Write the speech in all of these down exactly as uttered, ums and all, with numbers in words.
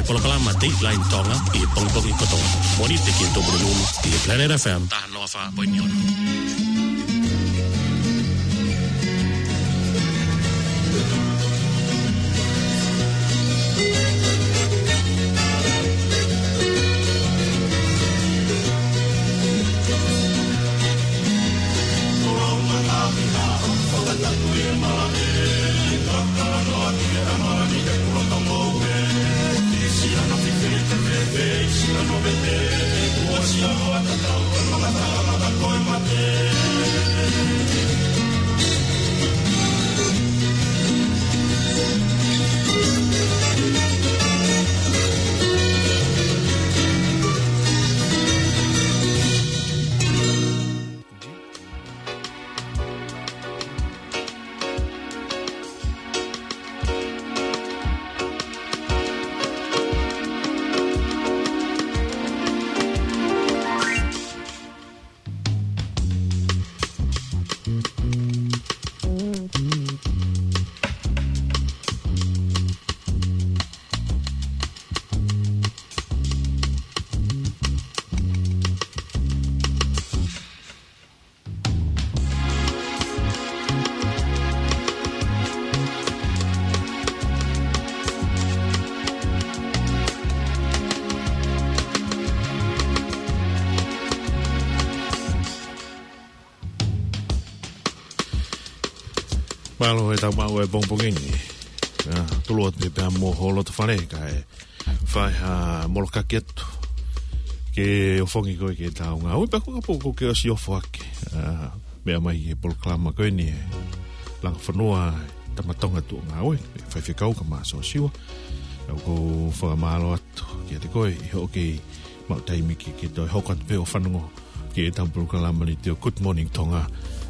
Polokalama Dateline Tonga ʻi he pongipongi kotoa. Mōnite ki he Tupuna Nunu ʻi he Planet F M taha noa fā poini ono. Mālō e tau maʻu e pongipongi ni. ʻA, tulu atu pē pea mo ho loto fale kae fai ha molokaki atu ke ʻofongi koe ke tau ngāue pea ko ka poko ke ʻosi ʻofoʻaki. ʻA, meʻa mai he polokalama ko eni e Langa Fonua, Tama Tonga Tuʻa Ngāue, Faifekau Kamā Siosiua. ʻOku ou fakamālō atu kiate koe ʻi hoʻo kei maʻu taimi ke, ke toe hoko atu pē ʻo fanongo ki he tau polokalama ni te o Good Morning Tonga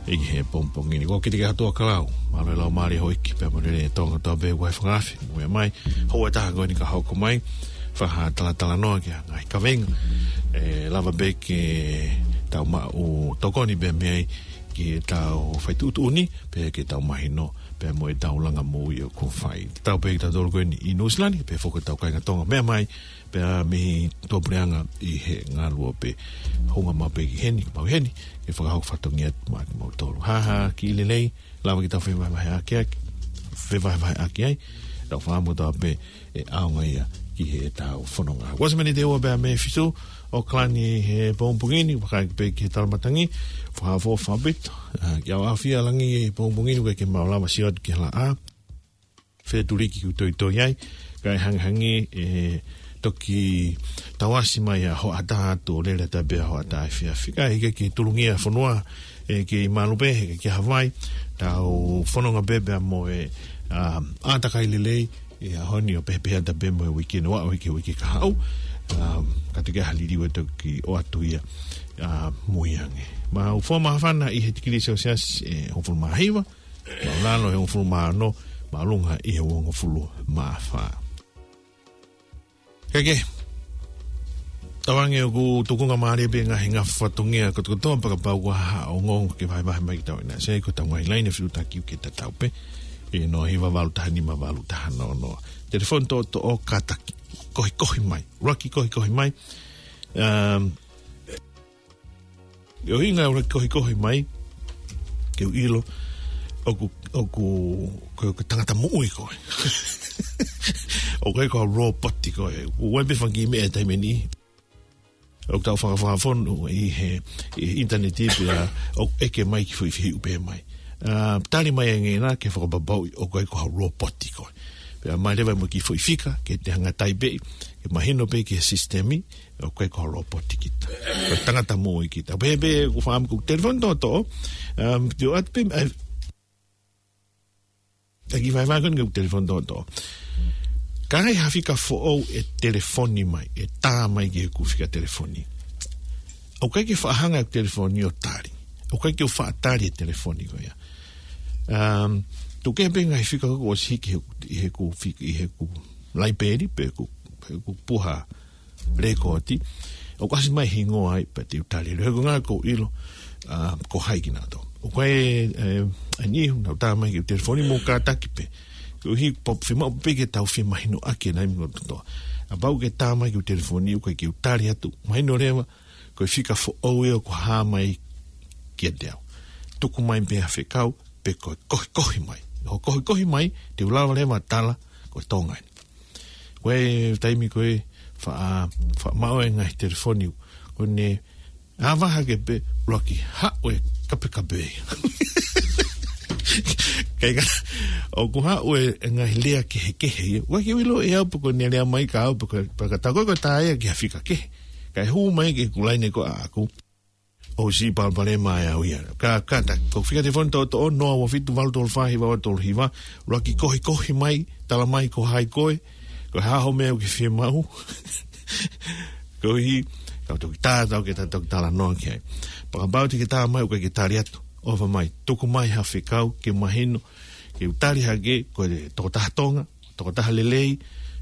ʻi he pongipongi ni. Ko kite ke hatua kalau, mālō e lau mālie hoʻo ʻeiki pea mo e lelei e Tonga kotoa pē ʻoku ʻi he fakaafe, mo e mai, houa ʻe taha ko eni ka hoko mai, fai ha talatalanoa ki he ngaahi kavenga ʻe lava pē ke tau maʻu tokoni pē mei ai ki he tau fai tuʻutuʻuni, pea ke tau mahino pea mo e tau langa moʻui ʻoku fai. Tau pē ki tautolu ko eni ʻi Nuʻusila ni, pea foki tau kāinga Tonga meʻa mai, pea mei tuʻapuleʻanga ʻi he ngaluope. Hounga maʻu pē ki heni, maʻu heni, ke fakahoko fatongia atu maʻa kimoutolu. Ha ha, kiʻi lelei, lava ke tau fevahevaheʻaki, fevahevaheʻaki ai, tau fakamotoa pē ʻe ʻaonga ia ki he tau fononga. Kuo ʻosi miniti ʻe ua pea mei he fitu ʻo e kalani he pongipongi ni, vakai pē ki he tala matangi, fakaʻofoʻofa ʻaupito, ʻa, ʻi he ʻaho ʻa e langi he pongipongi ni, ʻoku ʻikai ke mau lava sio atu ki he laʻā. Fetuliki ʻoku toitoi ai, kae hangehangē ʻe toki tauasi mai ʻa e hoʻatā atu ʻo lele atu pē ʻa e hoʻatā efiafi. Kae ʻikai ke tulungia fonua, ʻe kei malu pē, he ʻikai ke ʻi ai ha vai, tau fononga pē pea mo e, ʻa, ʻātakai lelei, ʻi he ʻaho ni ʻo pehē pē atu pē mo e uike noa, uike, uike kahaʻu, ʻa, ka toki ʻi ai ha liliu ʻe toki ʻoatu ia, ʻa, mui ange. Mau fua māfana ʻi he tikilī selesiasi ʻe hongofulu mā hiva, māʻulalo ʻe hongofulu mā ono, māʻolunga ʻi he uongofulu mā fā. Kae kehe, tauange ʻoku tukunga mālie pē ngaahi ngaahi fatongia kotokotoa pea kapau ʻoku ʻi ai ha ongoongo ke vahevahe mai ki tau ʻi he ʻaho ni, ko e tau ngaahi laine fetuʻutaki ʻoku tatau pē, ʻi he noa hiva valu taha nima valu taha noa noa. Telefoni toʻotoʻo, kātaki, kohikohi mai, ʻuluaki kohikohi mai. Um, ʻUhinga ʻoku ou kohikohi mai, ke u ʻilo, ʻoku, ʻoku, ko e, ko e tangata moʻui koe. ʻOku ʻikai ko ha lōpoti koe. ʻOku ʻi ai pē fanga kiʻi meʻa he taimi ni. ʻOku tau fakafonu ʻi he, ʻi he ʻinitaneti pea ʻoku ʻeke mai ki he foʻi fehuʻi pē mai. ʻA, tali mai ange na ke fakapapauʻi ʻoku ʻikai ko ha lōpoti koe. Pea mai leva mo e kiʻi foʻi fika, ke te hanga ʻo taipeʻi, ke mahino pē ki he sisitemi, ʻoku ʻikai ko ha lōpoti kita. Ko e tangata moʻui kita. Pea pē ʻoku ou faʻa ʻomi ʻeku telefoni toʻotoʻo, um, te u ʻoatu pē, ʻa, ʻa e kiʻi vahevahe ko eni ki heʻeku telefoni toʻotoʻo. Ka ʻi ai ha fika foʻou ʻe telefoni mai, ʻe tā mai ki heʻeku fika telefoni, ʻoku ʻikai ke faʻa hanga ʻeku telefoni ʻo tali. ʻOku ʻikai ke u faʻa tali e telefoni ko ia. Um, tuku kehe pē ngaahi fika ʻoku ʻosi hiki he, ʻi heʻeku fik-, ʻi heʻeku laipeli, pe ʻeku, ʻeku puha lēkooti, ʻoku ʻasi mai e hingoa ai pea te u tali. He ko e ʻuhinga ʻoku ou ʻilo, ʻa, ko hai kinautolu. ʻOku ʻi ai, e, ʻa e niʻihi ʻoku nau tā mai ki heʻeku telefoni mo kātaki pē. Koeʻuhi pea fiemaʻu pē ke tau femahinoʻaki e ngaahi meʻa kotoa. Kapau ʻoku ke tā mai ki heʻeku telefoni, ʻoku ʻikai ke u tali atu. Mahino leva, ko e fika foʻou ia ʻoku hā mai kiate au. Tuku mai pē ha fekau, pe ko e kohikohi mai. Ko e kohikohi mai, te u lava leva ʻo tala, ko e Tonga eni. Ko e taimi ko ē, faʻa, faʻa maʻu e ngaahi telefoni, ko ʻene ʻave hake pē, ʻuluaki haʻu e kapekape. Kae kehe, ʻoku haʻu e, e ngaahi lea kehekehe ia. ʻOku ʻikai ke u ʻilo ʻe au pe ko ʻene lea mai kia au pe ko, pe ko e tā ko ē ko e tā ia ki ha fika kehe. Kae hū mai ki heʻeku laine ko ē ʻaʻaku. ʻOsi palopalema ʻe au ia. Ka, ka ta, ko e fika telefoni toʻotoʻo, noa ua fitu valu tolu fā hiva ua tolu hiva, ʻuluaki kohikohi mai, tala mai ko hai koe, ko e hā hoʻo meʻa ʻoku ke fiemaʻu. Koeʻuhi, kau toki tā, tau ke ta toki talanoa ki ai. Pea kapau te ke tā mai, ʻoku ʻikai ke tali atu. ʻOfa mai, tuku mai ha fekau, ke mahino, ke u tali hake, ko e tokotaha Tonga, tokotaha lelei,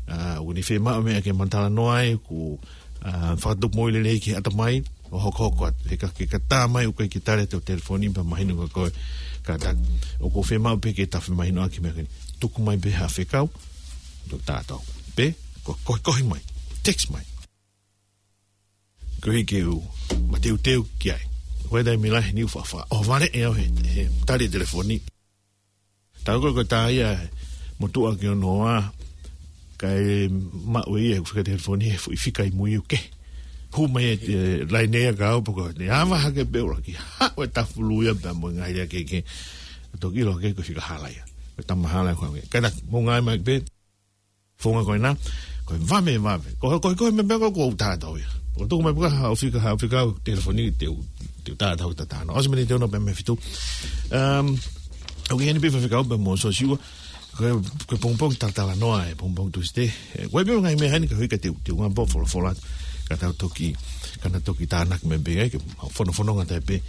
ʻa, ʻoku ne fiemaʻu meʻa ke ma talanoa ai, ʻoku, ʻa, fakatupu moʻui lelei ki he ʻatamai, ʻo hokohoko atu. He ka ke ka tā mai, ʻoku ʻikai ke tali atu e telefoni, pea mahino kia koe, ka ta, ʻoku fiemaʻu pē ke ta femahinoʻaki meʻa ko eni. Tuku mai pē ha fekau, tau tā atu. Pe, ko, kohikohi mai, text mai. Koeʻuhi ke u mateuteu ki ai. Ko e taimi lahi ni ʻoku faʻa, faʻa ʻohovale ʻe au he, he tali telefoni. Tau ko e, ko e tā ia, motuʻa ki hono hoa, kae maʻu ia, ʻoku fika telefoni, he foʻi fika ʻi mui ʻoku ke. Hū mai e, e, laine ia kia au, pe ko ʻene ʻave hake pē ʻuluaki haʻu e tafulu ia pea mo e ngaahi lea kehekehe. Toki ʻilo hake ko e fika hala ia. Ko e tama hala ia ko ē. Kae ta, mou ngāue mai pē, founga ko ena, ko e vave, vave. Ko, ko, ko e meʻa pē ko ē ʻoku ou tā atu ia. ʻOku tuku mai pē ha fika, ha fika telefoni te u, te u tā atu ʻo ta talanoa. ʻOsi miniti ʻe ono pē mei he fitu. Um, ʻoku ʻi heni pē ha fika pē mo Sosiua. Ko e, ko e pongipongi talatalanoa e pongipongi Tūsite. E, ko e pē ngaahi meʻa heni ka hika te u, te u ngāue pē ʻo folofola. Ka tau toki, ka na toki tānaki mai pē ai, ke fonofononga atu pē,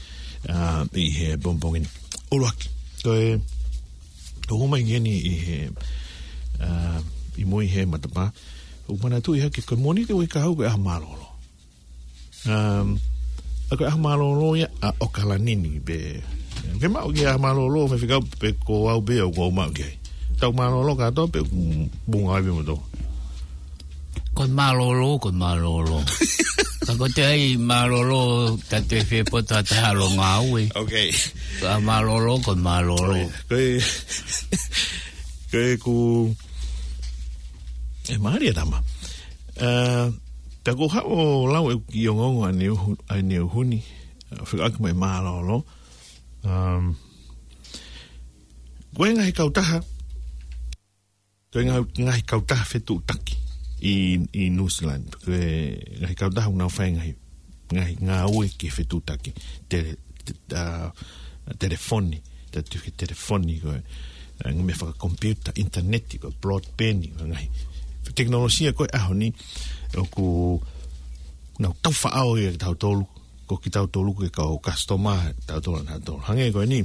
uh, ʻi he pongipongi ni. ʻUluaki. Ko e, ʻoku hū mai ki heni ʻi he, ʻa, ʻi mui he matapā. ʻOku manatuʻi hake ko e Mōnite ʻoku ʻikai ke hau ko e ʻaho mālōlō. Um, ʻa ko e ʻaho mālōlō ia ʻa ʻAokalani ni pē. Ke maʻu ki he ʻaho mālōlō, mei he fika pe ko au pē ʻoku ou maʻu ki ai. Tau mālōlō kātoa pe, mm, bunga ai pē mo tō. Ko e mālōlō, ko e mālōlō. Ka ko e ʻai mālōlō, ta te fie poto ʻa ta halo ngāue. Ok. Ka mālōlō, ko e mālōlō. Ko e, ko e ku, e mālie tama. Eh, pea ko haʻo lau e ki ongoongo ʻaneuhu-, ʻaneuhu ni, eh, fika ake mai mālōlō. Um, ko e ngaahi kautaha, ko e ngaahi, ngaahi kautaha fetuʻutaki ʻi, ʻi New Zealand. Ko e ngaahi kautaha ʻoku nau fai ngaahi, ngaahi ngāue ki he fetuʻutaki. Tele-, te-, ʻa, telefoni, ta tu ke telefoni ko e, ʻa, ngaahi meʻa fakakomipiuta, ʻinitaneti, ko e broadband, ko e ngaahi tekinolosia ko e ʻaho ni, ʻoku nau tau faʻao ia kitautolu, ko kitautolu ko e kau customer, tautolu nautolu. Hangē ko eni,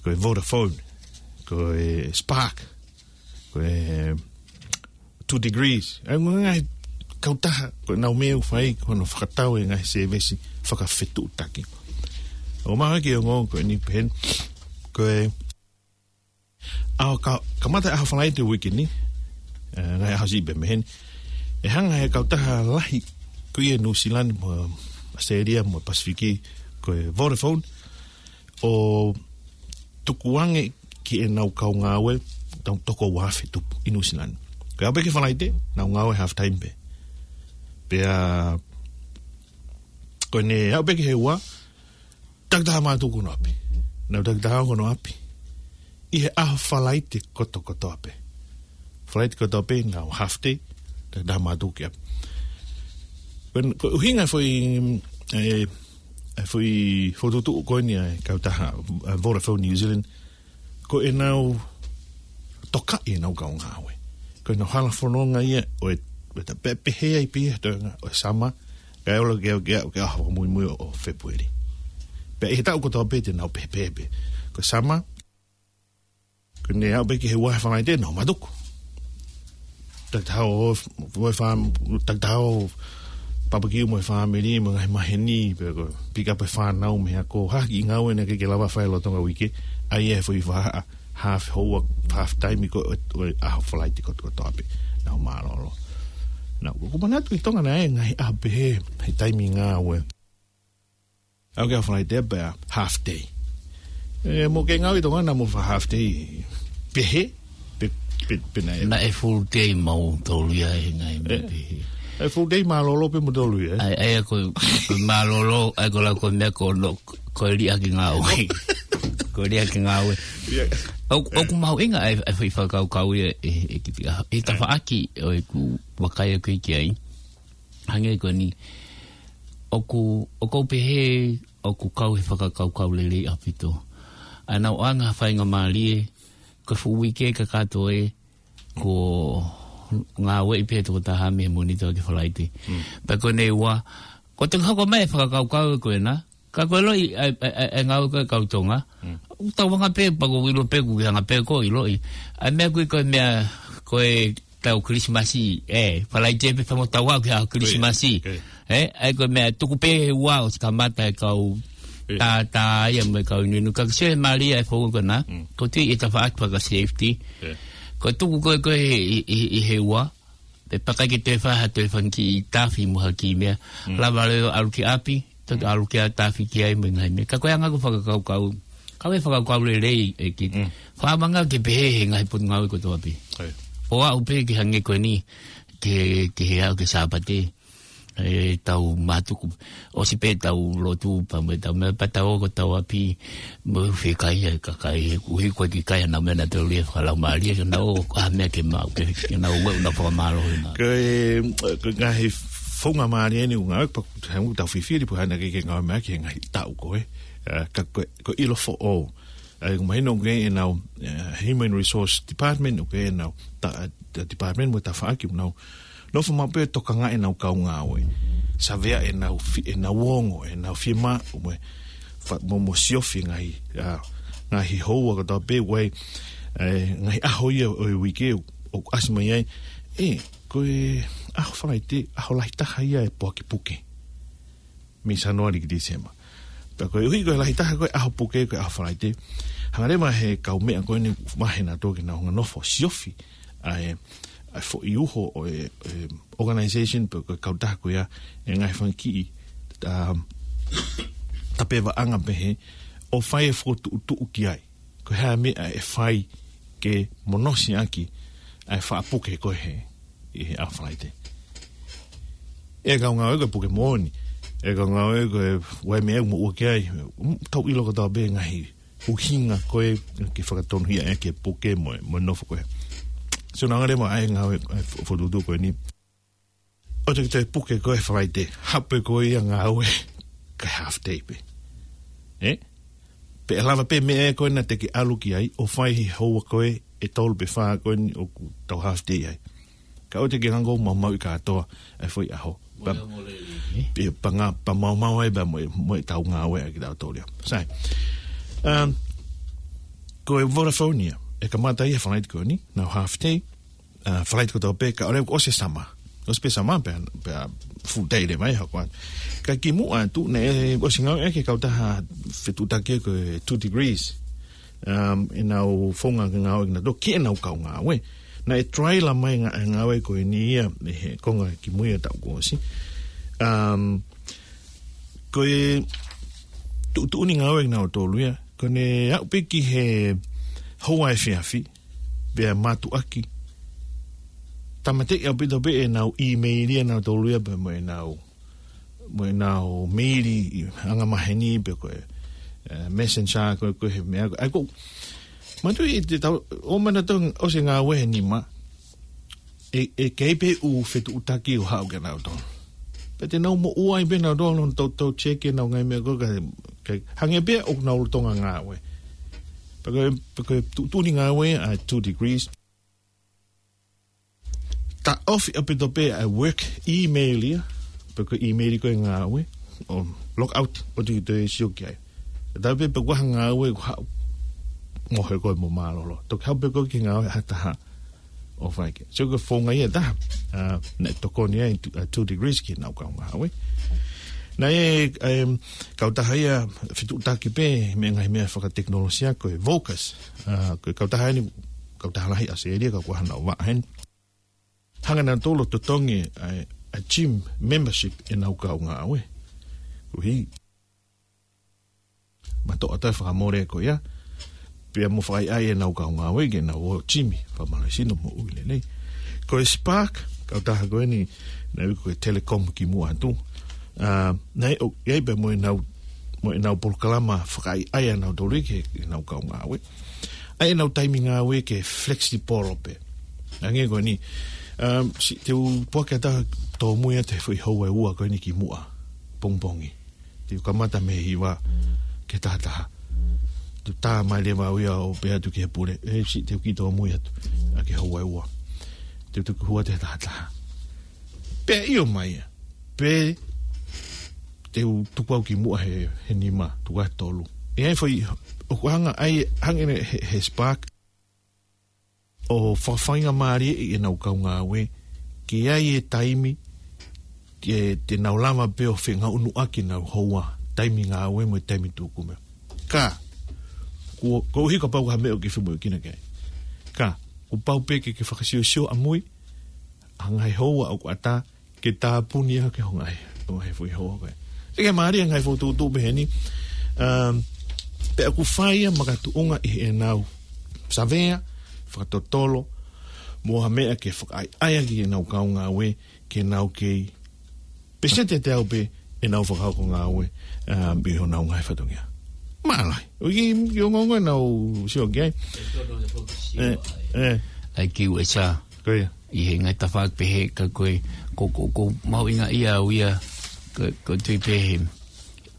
ko e Vodafone, ko e Spark, ko e Two Degrees. ʻA e ngaahi kautaha, ko e nau meʻa ʻoku fai, ko hono fakatau e ngaahi sēvesi fakafetuʻutaki. ʻOku maʻu ki he ongoongo ko eni pehē ni, ko e ʻaho ka, kamata ʻaho Falaite uike ni, eh, ngaahi ʻaho siʻi pē mei heni. ʻE hanga he kautaha lahi ko ia New Zealand mo ʻAositelēlia mo Pasifiki ko e Vodafone ʻo tukuange ki heʻenau kau ngāue, tau toko ua afe tupu ʻi New Zealand. Ko e aʻu pē ki he Falaite, nau ngāue half time pē. Pea, ko ʻene aʻu pē ki he ua, takitaha mātuku hono ʻapi. Nau takitaha hono ʻapi. ʻI he ʻaho Falaite kotokotoa pē. Falaite kotoa pē, nau half day, takitaha mātuku ki ʻapi. Ko e, ko e ʻuhinga foʻi, e, e foʻi fokotuʻutuʻu ko eni ʻa e kautaha, e Vodafone New Zealand, ko ʻenau tokaʻi ʻenau kau ngāue. Ko ʻenau hala fononga ia ʻo e, ʻo e ta pe-, pehē ai pē ia he toenga ʻo e summer, kae ʻoua ke, ke, ke ʻaho muimui ʻo, ʻo Fēpueli. Pea ʻi he taʻu kotoa pē te nau pehē pē. Ko e summer, ko ʻene aʻu pē ki he ua he Falaite, nau mātuku. Takitaha ʻo, ʻo e fā-, takitaha ʻo papakiu mo e fāmili, mo e ngaahi maheni, pe ko e pick up e fānau mei he ako, ha kiʻi ngāue naʻe ʻikai ke lava fai lolotonga uike, ʻa ia he foʻi vahaʻa, half hour, half time ko e, ʻo e ʻaho Falaite kotokotoa pē, nau mālōlō. Naʻa ku manatu ʻi Tonga naʻe ngaahi ʻaho pehē, he taimi ngāue. ʻA ia ko e Falaite pē half day. ʻE, mou kei ngāue ʻi Tonga naʻa mou fai half day pehē, pe, pe, pe naʻe. Naʻe full day mautolu ia he ngaahi meʻa pehē. ʻE full day mālōlō pē mautolu ia, ē? ʻA ia, ʻa ia ko, ko mālōlō, ʻa ia ko e lau ko e meʻa ko no, ko e liʻaki ngāue. Ko e liʻaki ngāue. Ia. ʻOku, ʻoku mahuʻinga ʻa e, ʻa e foʻi fakakaukau ia ʻe, ʻe kiʻi, ʻa, ʻi he tafaʻaki ʻo ʻeku vakai ʻaku ki ai. Hangē ko eni, ʻoku, ʻoku ou pehē, ʻoku kau he fakakaukau lelei ʻaupito. ʻA ʻenau ʻoange ha faingamālie, ko e fuʻu uike kakato ē, ko e ngāueʻi pē tokotaha mei he Mōnite ki he Falaite. Mm. Pea ko eni ua, ko e toki hoko mai e fakakaukau ko ena, ka ko e ʻiloʻi, ʻa e, ʻa e, ʻa e, ʻa e ngāue ko e kau Tonga. Mm. ʻOku tau anga pē, pea ʻoku ou ʻilo pē, ʻoku ke anga pē ʻoku ke ʻiloʻi. ʻA e meʻa ko ē, ko e meʻa, ko e tau Kilisimasi, ē, Falaite pē famo tau au ki he ʻaho Kilisimasi. Ko ia, ko ia. Ē, ʻa ia ko e meʻa tuku pē he ua ʻosi kamata e kau tā, tā ia mo e kau inuinu. Ka ke sio he mālie e founga ko ena, ko e tui ʻi he tafaʻaki faka-safety. Ko e tuku ko ē, ko ē ʻi, ʻi, ʻi he ua, pe pea ʻikai ke toe fai ha toe fanga kiʻi tafi mo ha kiʻi meʻa. Lava leva ʻo ʻalu ki ʻapi, toki ʻalu ki ʻapi tafi ki ai mo e ngaahi meʻa. Ka ko e anga ʻeku fakakaukau, ka ko e fakakaukau lelei ʻeku kiʻi. Fakamanga ke pehē he ngaahi potungāue kotoa pē. ʻO aʻu pē ki he hangē ko eni, ki he, ki he ʻaho ko e Sāpate. ʻE tau mātuku, ʻosi pē tau lotu pea mo e tau meʻa pea tau ō ki hotau ʻapi, mo e fie kai e kakai, he ʻuhi ko e kiʻi kai ʻenau meʻa naʻa tau lia fakalaumālie, ke nau ō, ʻa e meʻa ke maʻu, ke, ke nau ō, ʻenau fakamālō ʻenau. Ko e, ko e ngaahi founga mālie eni ʻoku ngāue, pea ʻoku tau fifili, pea hana ke ke ngāue mai ki he ngaahi taʻu ko ē, ē, ka ko e, ko e ʻilo foʻou. ʻA ia, ʻoku mahino ʻoku ʻi ai ʻenau, eh, Human Resource Department, ʻoku ʻi ai ʻenau ta-, ta-, department mo e tafaʻaki ʻoku nau nofo maʻu pē ʻo tokangaʻi ʻenau kau ngāue. Savea ʻenau fi-, ʻenau ongo, ʻenau fiemaʻu, mo e fa-, mo, mo siofi ngaahi, ah, ngaahi houa kotoa pē ʻoku ʻi ai, eh, ngaahi ʻaho ia ʻo e uike ʻoku ʻasi mai ai. Ē, ko e ʻaho Falaite, ʻaho lahi taha ia e poaki puke. Mei Sānuali ki Tīsema. Pea koeʻuhi ko e lahi taha ko e ʻaho puke ko e ʻaho Falaite. Hanga leva he kau meʻa ko eni ʻoku vahe naʻa tau ke nau hanga ʻo nofo siofi ʻa e, ʻa e foʻi uho ʻo e, e organization pe ko e kautaha ko ia e ngaahi fanga kiʻi, um, tapevaʻanga pehē ʻo fai e fokotuʻutuʻu ki ai. Ko e hā e meʻa ʻe fai ke monosi ʻaki ʻa e faʻa puke ko ē he, ʻi he ʻaho Falaite. ʻE kau ngāue ko e puke moʻoni. ʻE kau ngāue ko e ʻū meʻa ʻoku moʻua ki ai. Mm, tau ʻilo kotoa pē ngaahi ʻuhinga ko ē ke fakatonuhia ʻaki e puke mo e, mo e nofo ko ē. So, naʻa ngale mo e ngāue, e fo-, fokotuʻutuʻu ko eni. ʻOku te ke toe puke ko ē Falaite, hape ko ia ngāue, kae half day pē. Ē? Pea ʻe lava pē meʻa ko ē naʻa te ke ʻalu ki ai, ʻo fai he houa ko ē, ʻe tolu pe fā ko eni ʻoku tau half day ai. Ka ʻoku te ke hanga ʻo maumauʻi kātoa, e foʻi ʻaho. Pea, pea ngā, pea maumau ai pea mo e, mo e tau ngāue ʻa kitautolu ia. Sai. Um, ko e Vodafone ia, ʻe kamata ia Falaite ko eni, nau half day, ʻa, Falaite kotoa pē, ka ʻoku ʻosi e summer. ʻOsi pē summer, pea, pea full day leva ia, hoko atu. Ka kimuʻa atu, naʻe ʻosi ngāueʻaki e kautaha fetuʻutaki ko e Two Degrees. Um, ʻenau founga ke ngāue kinautolu, ki heʻenau kau ngāue. Naʻe trial mai ngā-, ngāue ko eni ia, ʻi he konga kimui e taʻu kuo ʻosi. Um, ko e tuʻutuʻuni ngāue kinautolu ia, ko ʻene aʻu pē ki he houa efiafi, pea mātuʻaki. Tāmateʻi ʻaupito pē ʻenau email ia nautolu ia pea mo ʻenau, mo ʻenau meili ʻi angamaheni pe ko e, eh, messenger ko e, ko e he meʻa ko e. ʻA ia ko, mātuʻaki te tau, ʻo mana tau ʻosi e ngāue he nima, ʻe, ʻe kei pē ʻū fetuʻutaki ʻo haʻu kia nautolu. Pea te nau moʻua ai pē nautolu, tau, tau check ʻenau ngaahi meʻa ko ē, ka, ka hangē pē ʻoku nau lolotonga ngāue. Pea ko e, pea ko e tuʻutuʻuni ngāue ʻa Two Degrees. Taʻofi ʻaupito pē ʻa e work email ia, pe ko e email ko ē ngāue, ʻo log out, ʻoua te ke toe sio ki ai. Taʻofi pē pe ko e hā e ngāue ʻoku haʻu, mohe koe mo mālōlō. Toki haʻu pē koe ki he ngāue ha taha ʻo fai ki ai. So ko e founga ia ʻe taha, ʻa, naʻe tokoni ai Two, ʻa, Two Degrees ki heʻenau kau ngāue. Naʻe, em, kautaha ia fetuʻutaki pē mei he ngaahi meʻa fakatekinolosia ko e Vocus. ʻA, ko e kautaha eni, kautaha lahi ʻAositelēlia ka ʻoku ʻi ai haʻanau vaʻa heni. hanga nautolu ʻo totongi ʻa e, ʻa e gym membership ʻenau kau ngāue. Koeʻuhi, matoʻa ʻa e fakamole ko ia, pea mo fakaʻaiʻai ʻenau kau ngāue ke nau ō gym, fakamālohisino mo ui lelei. Ko e Spark, kautaha ko eni, naʻe ui ko e Telecom kimuʻa atu. ʻA, naʻe ʻo, ʻi ai pē mo ʻenau, mo ʻenau polokalama fakaʻaiʻai ʻanautolu ki heʻenau kau ngāue. ʻA ʻenau taimi ngāue ke flexible pē. Hangē ko eni, um, siʻi te u puake atu ʻo tōmui atu he foʻi houa ʻe ua ko eni kimuʻa pongipongi. Te u kamata mei he hiva ki he taha taha. Te u tā mai leva au ia ʻo pehē atu ki he pule, ʻe, siʻi te u kiʻi tōmui atu ʻa ki he houa ʻe ua. Te u tuku hua atu he taha taha. Pea ʻio mai ia. Pe te u tuku au kimuʻa he, he nima, tuku au he tolu. ʻE ʻi ai e foʻi, ʻoku hanga ai, hangē he, he Spark, ʻo fakafaingamālieʻi ʻenau kau ngāue, ke ʻi ai e taimi, te, te nau lava pē ʻo fengāueʻaki ʻenau houa, taimi ngāue mo e taimi tuku meʻa. Ka, ko, koeʻuhi kapau ko ha meʻa ʻoku ke femoʻuekina ki ai. Ka, kuo pau pē ke, ke fakasiosio ʻamui, ʻa e ngaahi houa ʻoku ʻatā, ke tāpuni ʻaki ho ngaahi, ho ngaahi foʻi houa ko ē. Te ke mālie ngaahi foʻi tuʻutuʻu pehē ni, um, pea ʻoku fai ia makatuʻunga ʻi heʻenau savea, fakatotolo, mo ha meʻa ke fakaʻaiʻai ʻaki ʻenau kau ngāue, ke nau kei peseti ʻe teau pē ʻenau fakahoko ngāue, um, ʻi honau ngaahi fatongia. Mālō. ʻOku ʻi, ʻi he ongoongo ʻenau sio ki ai. ʻE, ʻe. ʻAi ki U S A. Ko ia. ʻI he ngaahi tafaʻaki pehē ka ko e, ko, ko, ko mahuʻinga ia au ia, ko, ko tui pehē.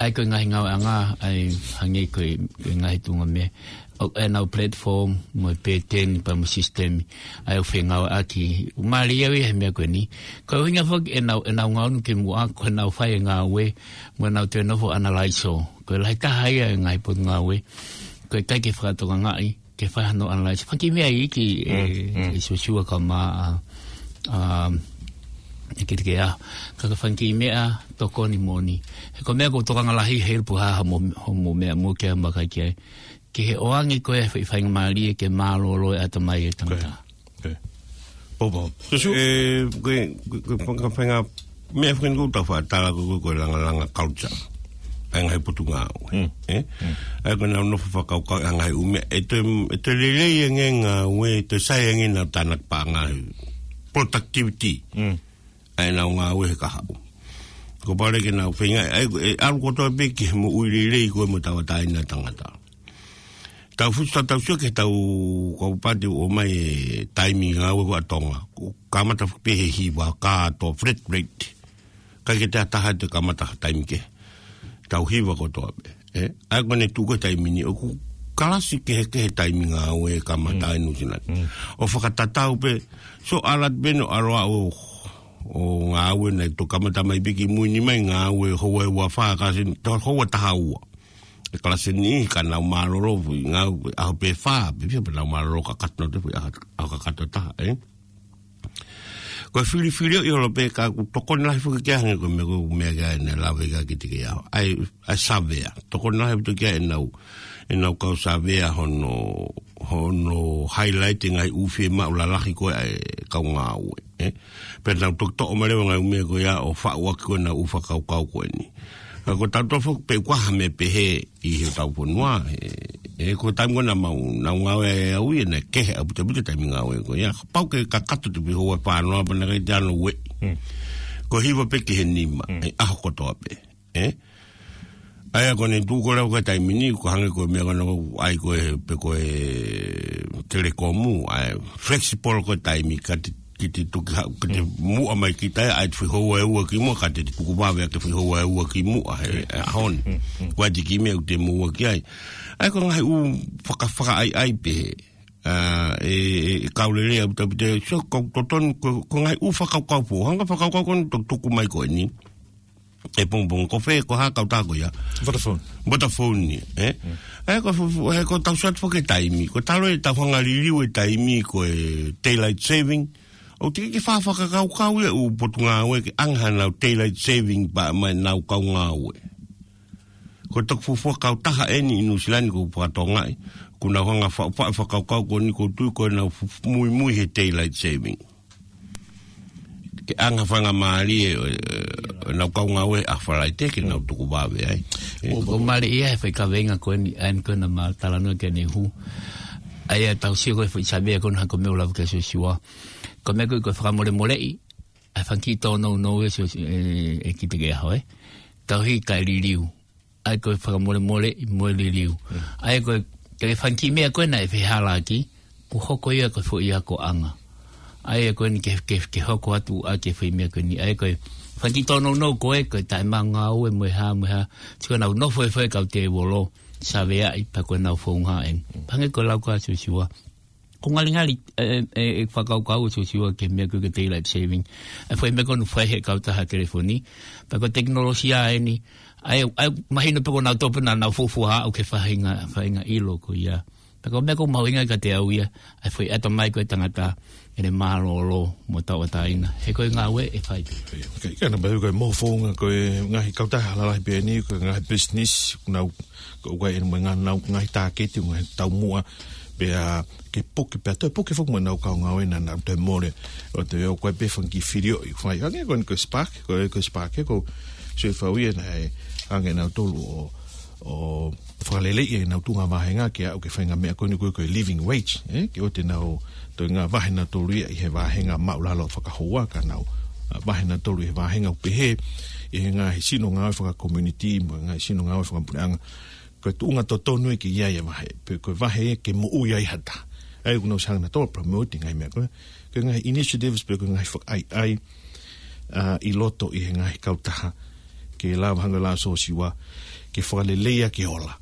ʻAi ko e ngaahi ngāueʻanga, ʻai hangē ko e, ko e ngaahi tuʻunga meʻa. ʻO, ʻenau platform, mo e pēteni, pea mo e sisitemi. ʻAi ʻo fengāueʻaki. Mālie ia he meʻa ko eni. Ko e ʻuhinga foki ʻenau, ʻenau ngaunu kimuʻa, ko ʻenau fai e ngāue, mo ʻenau toe nofo ʻo analaiso. Ko e lahi taha ia e ngaahi potungāue. Ko e ʻikai ke fakatokangaʻi, ke fai hano analysis. Fanga kiʻi meʻa iiki, ʻe, mm, mm, ʻe Siosiua kae ʻumaʻā, ʻa, ʻe Kitekeʻaho. Ka ko e fanga kiʻi meʻa tokoni moʻoni. He ko e meʻa ʻoku tokanga lahi he ʻiloa pē ha, ha mo, ho mo meʻa mo ke maka ki ai. Ke he ʻoange ko e foʻi faingamālie ke mālōlō e ʻatamai e tangata. Ko ia. Ko ia. Pau, pau. Siosiua. ʻE, ko e, ko e, ko e fanga, fanga meʻa foki eni ʻoku tau faʻa tala ko e, ko e langalanga culture. ʻA e ngaahi potungāue. Mm. ʻE? Mm. ʻA ia ko ʻenau nofo fakakaukau ʻa e ngaahi ʻū meʻa. ʻE toe, ʻe toe lelei ange ngāue, ʻe toe sai ange ʻenau tānaki paʻanga he productivity. Mm. ʻA ʻenau ngāue he kahaʻu. Kuo pau leva ke nau feinga, ʻa ia, ʻe ʻalu kotoa pē ki he moʻui lelei ko ē mo tauʻatāina tangata. Tau fusu tau sio ki he tau kau pati ʻo mai e taimi ngāue ko ē ʻa Tonga. Ko e kamata pē he hiva kātoa flat rate. ʻIkai ke toe ʻi ai ha taha te kamata ha taimi kehe. Tau hiva kotoa pē. ʻE, ʻa ia ko ʻene tuʻu ko ē he taimi ni ʻoku kalasi kehekehe taimi ngāue kamata, mm, ʻi Nuʻu Sila ni. Mm. ʻO fakatatau pē, so ʻalu atu pē ʻo ʻalu ʻo, ʻo ngāue naʻe toki kamata mai pē kimui ni mai ngāue houa ʻe ua fā, kalasi ni, to houa taha ua. ʻE kalasi ni ka nau mālōlō, foʻi ngāue, ʻaho pē fā, pē fia pē nau mālōlō kakato, te foʻi ʻaho, ʻaho kakato taha, ʻe? Ko e filifili ʻo ʻilo pē ka ʻoku tokoni lahi foki ki ai hangē ko e meʻa ko e meʻa ki ai ʻene lave ki ai Kitekeʻaho. ʻAi, ʻai savea. Tokoni lahi foki ki ai ʻenau, ʻenau kau savea hono, hono highlight e ngaahi ʻū fiemaʻu lalahi ko ē ʻa e kau ngāue, ʻe? Pea nau toki toʻo mai leva ngaahi ʻū meʻa ko ia ʻo faʻu ʻaki ko ē ʻenau ʻū fakakaukau ko eni. Ka ko tautolu foki pē ʻoku ʻi ai ha meʻa pehē ʻi hotau fonua, ʻe, ʻe ko e taimi ko ē naʻa mau, naʻa mau ngāue ai au ia naʻe kehe ʻaupito ʻaupito e taimi ngāue ko ia. Pau ke kakato te foʻi houa ʻe fā noa pea naʻe ʻikai te nau ueʻi. Mm. Ko e hiva pē ki he nima, mm, ʻi he ʻaho kotoa pē. ʻE? ʻA ia ko ʻene tuʻu ko ē leva ko ē he taimi ni, ko e hangē ko e meʻa ko ē naʻe ʻai ko ē, pē ko e Telekomu, ʻa e flexible ko ē taimi ka te, ke te toki ha, ke te, mm, muʻa mai kita ia, ʻai te foʻi houa ʻe ua kimuʻa, ka te, te tuku vave ʻaki e foʻi houa ʻe ua kimuʻa he, mm, he ʻaho ni. Mm, mm. Ko e ʻai te kiʻi meʻa ʻoku te moʻua ki ai. ʻA ia ko e ngaahi ʻū faka, fakaʻaiʻai pehē. ʻA, ʻe, ʻe, ʻe kau lelei ʻaupito ʻaupito, so, ko e totonu, ko, ko e ngaahi ʻū fakakaukau foʻou. Hanga fakakaukau ko eni ʻoku tuku mai ko eni. ʻE pongipongi ko fē, ko e hā e kautaha ko ia? Vodafone. Vodafone ni, ē? Mm. ʻE, ko fu-, fu-, ʻe, ko e tau sio atu foki ki he taimi. Ko e talu e tau hanga liliu e taimi ko e daylight saving. ʻOku teʻeki ke faʻa fakakaukau ia e ʻū potungāue ke ʻange hanau daylight saving pea mei heʻenau kau ngāue. Ko e toki fuofua kautaha eni ʻi Nuʻu Sila ni ʻoku ou fakatokangaʻi. Kuo nau hanga faʻu, faʻu e fakakaukau ko eni ʻoku ou tui ko ʻenau fu-, fu-, muimui he daylight saving. ke ʻanga faingamālie ʻo, ʻo, ʻo ʻenau kau ngāue ʻa Falaite ke nau tuku vave ai. ʻO, ʻo mali ia he fai kaveinga ko eni, ʻa eni ko ena ma talanoa ke ne hū. ʻA ia tau sio ko e foʻi savea ko ena ha ko e meʻa ʻoku lava ke Siosiua. Ko e meʻa ko e, ko e fakamolemoleʻi, ʻa e fanga kiʻi tōnounou ē Siosi-, ē, ē Kitikeaho ē. Tauhi kae liliu. ʻA ia ko e fakamolemoleʻi mo e liliu. ʻA ia ko e, ko e fanga kiʻi meʻa ko ena ʻe fehālaaki, kuo hoko ia ko e foʻi akoʻanga. ʻA ia ko eni ke, ke, ke hoko atu ʻa e foʻi meʻa ko eni. ʻA ia ko e fanga kiʻi tōnounou ko ē, ko e taʻemaʻu ngāue mo e hā, mo e hā. Tiko nau nofo e foʻi kau tēvolo, saveaʻi, pea ko ʻenau founga eni. Pea hangē ko e lau ko ē ʻa Siosiua. Ko e ngalingali, ē, ē, ē, fakakaukau ʻa Siosiua ki he meʻa ko e daylight saving. ʻA e foʻi meʻa ko ē naʻe fai ʻe he kautaha telefoni. Pea ko e tekinolosia eni. ʻA ia, ʻa ia, mahino pē ko ʻenau tope naʻa nau fuofua aʻu ki he faʻahinga, faʻahinga ʻilo ko ia. Pea ko e meʻa ʻoku mahuʻinga kiate au ia, ʻa e foʻi ʻatamai ko ē ʻa e tangata, ʻene mālōlō mo tauʻatāina. He ko e ngāue ʻe fai. ʻIkai, ʻikai ke na pehē ko e moʻoni founga ko e ngaahi kautaha lalahi pē eni, ko e ngaahi business, nau, ko e ʻuhinga eni mo e ngaahi, nau, ngaahi tāketi, ngaahi taumuʻa, pea ke puke, pea toe puke foki mo ʻenau kau ngāue naʻa nau toe mole, ʻo toe ʻoku ʻi ai pē fanga kiʻi filioʻi, fai, hangē ko eni ko e Spark, ko e, ko e Spark, ko Siosiua ia naʻe, hangē nautolu ʻo, ʻo fakaleleiʻi ʻenau tuʻunga vāhenga ke aʻu ki he faʻahinga meʻa ko eni ko e, ko e living wage, ē, ke ʻoua te nau toe ngāue vāhenga nautolu ia ʻi he vāhenga māʻulalo fakahoua ka nau, ā, vahe nautolu ʻi he vāhenga ʻoku pehē, ʻi he ngaahi sino ngāue fakakomiunitī, mo e ngaahi sino ngāue fakapuleʻanga. Ko e tuʻunga totonu ia ke ʻi ai e vahe, pe ko e vahe ia ke moʻui ai ha taha. ʻA ia ʻoku nau ʻosi hanga nautolu ʻo promote e ngaahi meʻa ko ē, ko e ngaahi initiatives pe ko e ngaahi fakaʻaiʻai, ā, ʻi loto ʻi he ngaahi kautaha, ke lava hangē ko e lau ʻa Siosiua, ke fakalelei ʻaki e ola.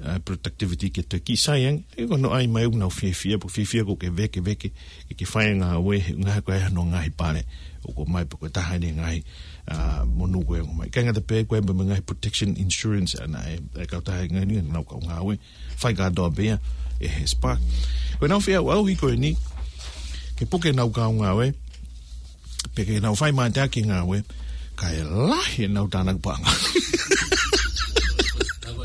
Ā, productivity ke toe kiʻi sai ange, ʻe ko hono ʻai mai ʻoku nau fiefia, pe fiefia ko e ke vekeveke, ke, ke fai e ngāue, he ngaahi ko e hano ngaahi pale, ʻoku ʻomai pe ko e taha eni e ngaahi, ā, monū ko ē ʻoku ʻomai. ʻIkai ngata pē ko e mo e ngaahi protection insurance ʻa ena ʻa e, ʻa e kautaha ngaahi ni, nau kau ngāue, fai kātoa pē ia ʻe he Spark. Ko ʻenau feʻauʻauhi ko eni, ke puke ʻenau kau ngāue, pea ke nau fai mateaki e ngāue, kae lahi ʻenau tānaki paʻanga.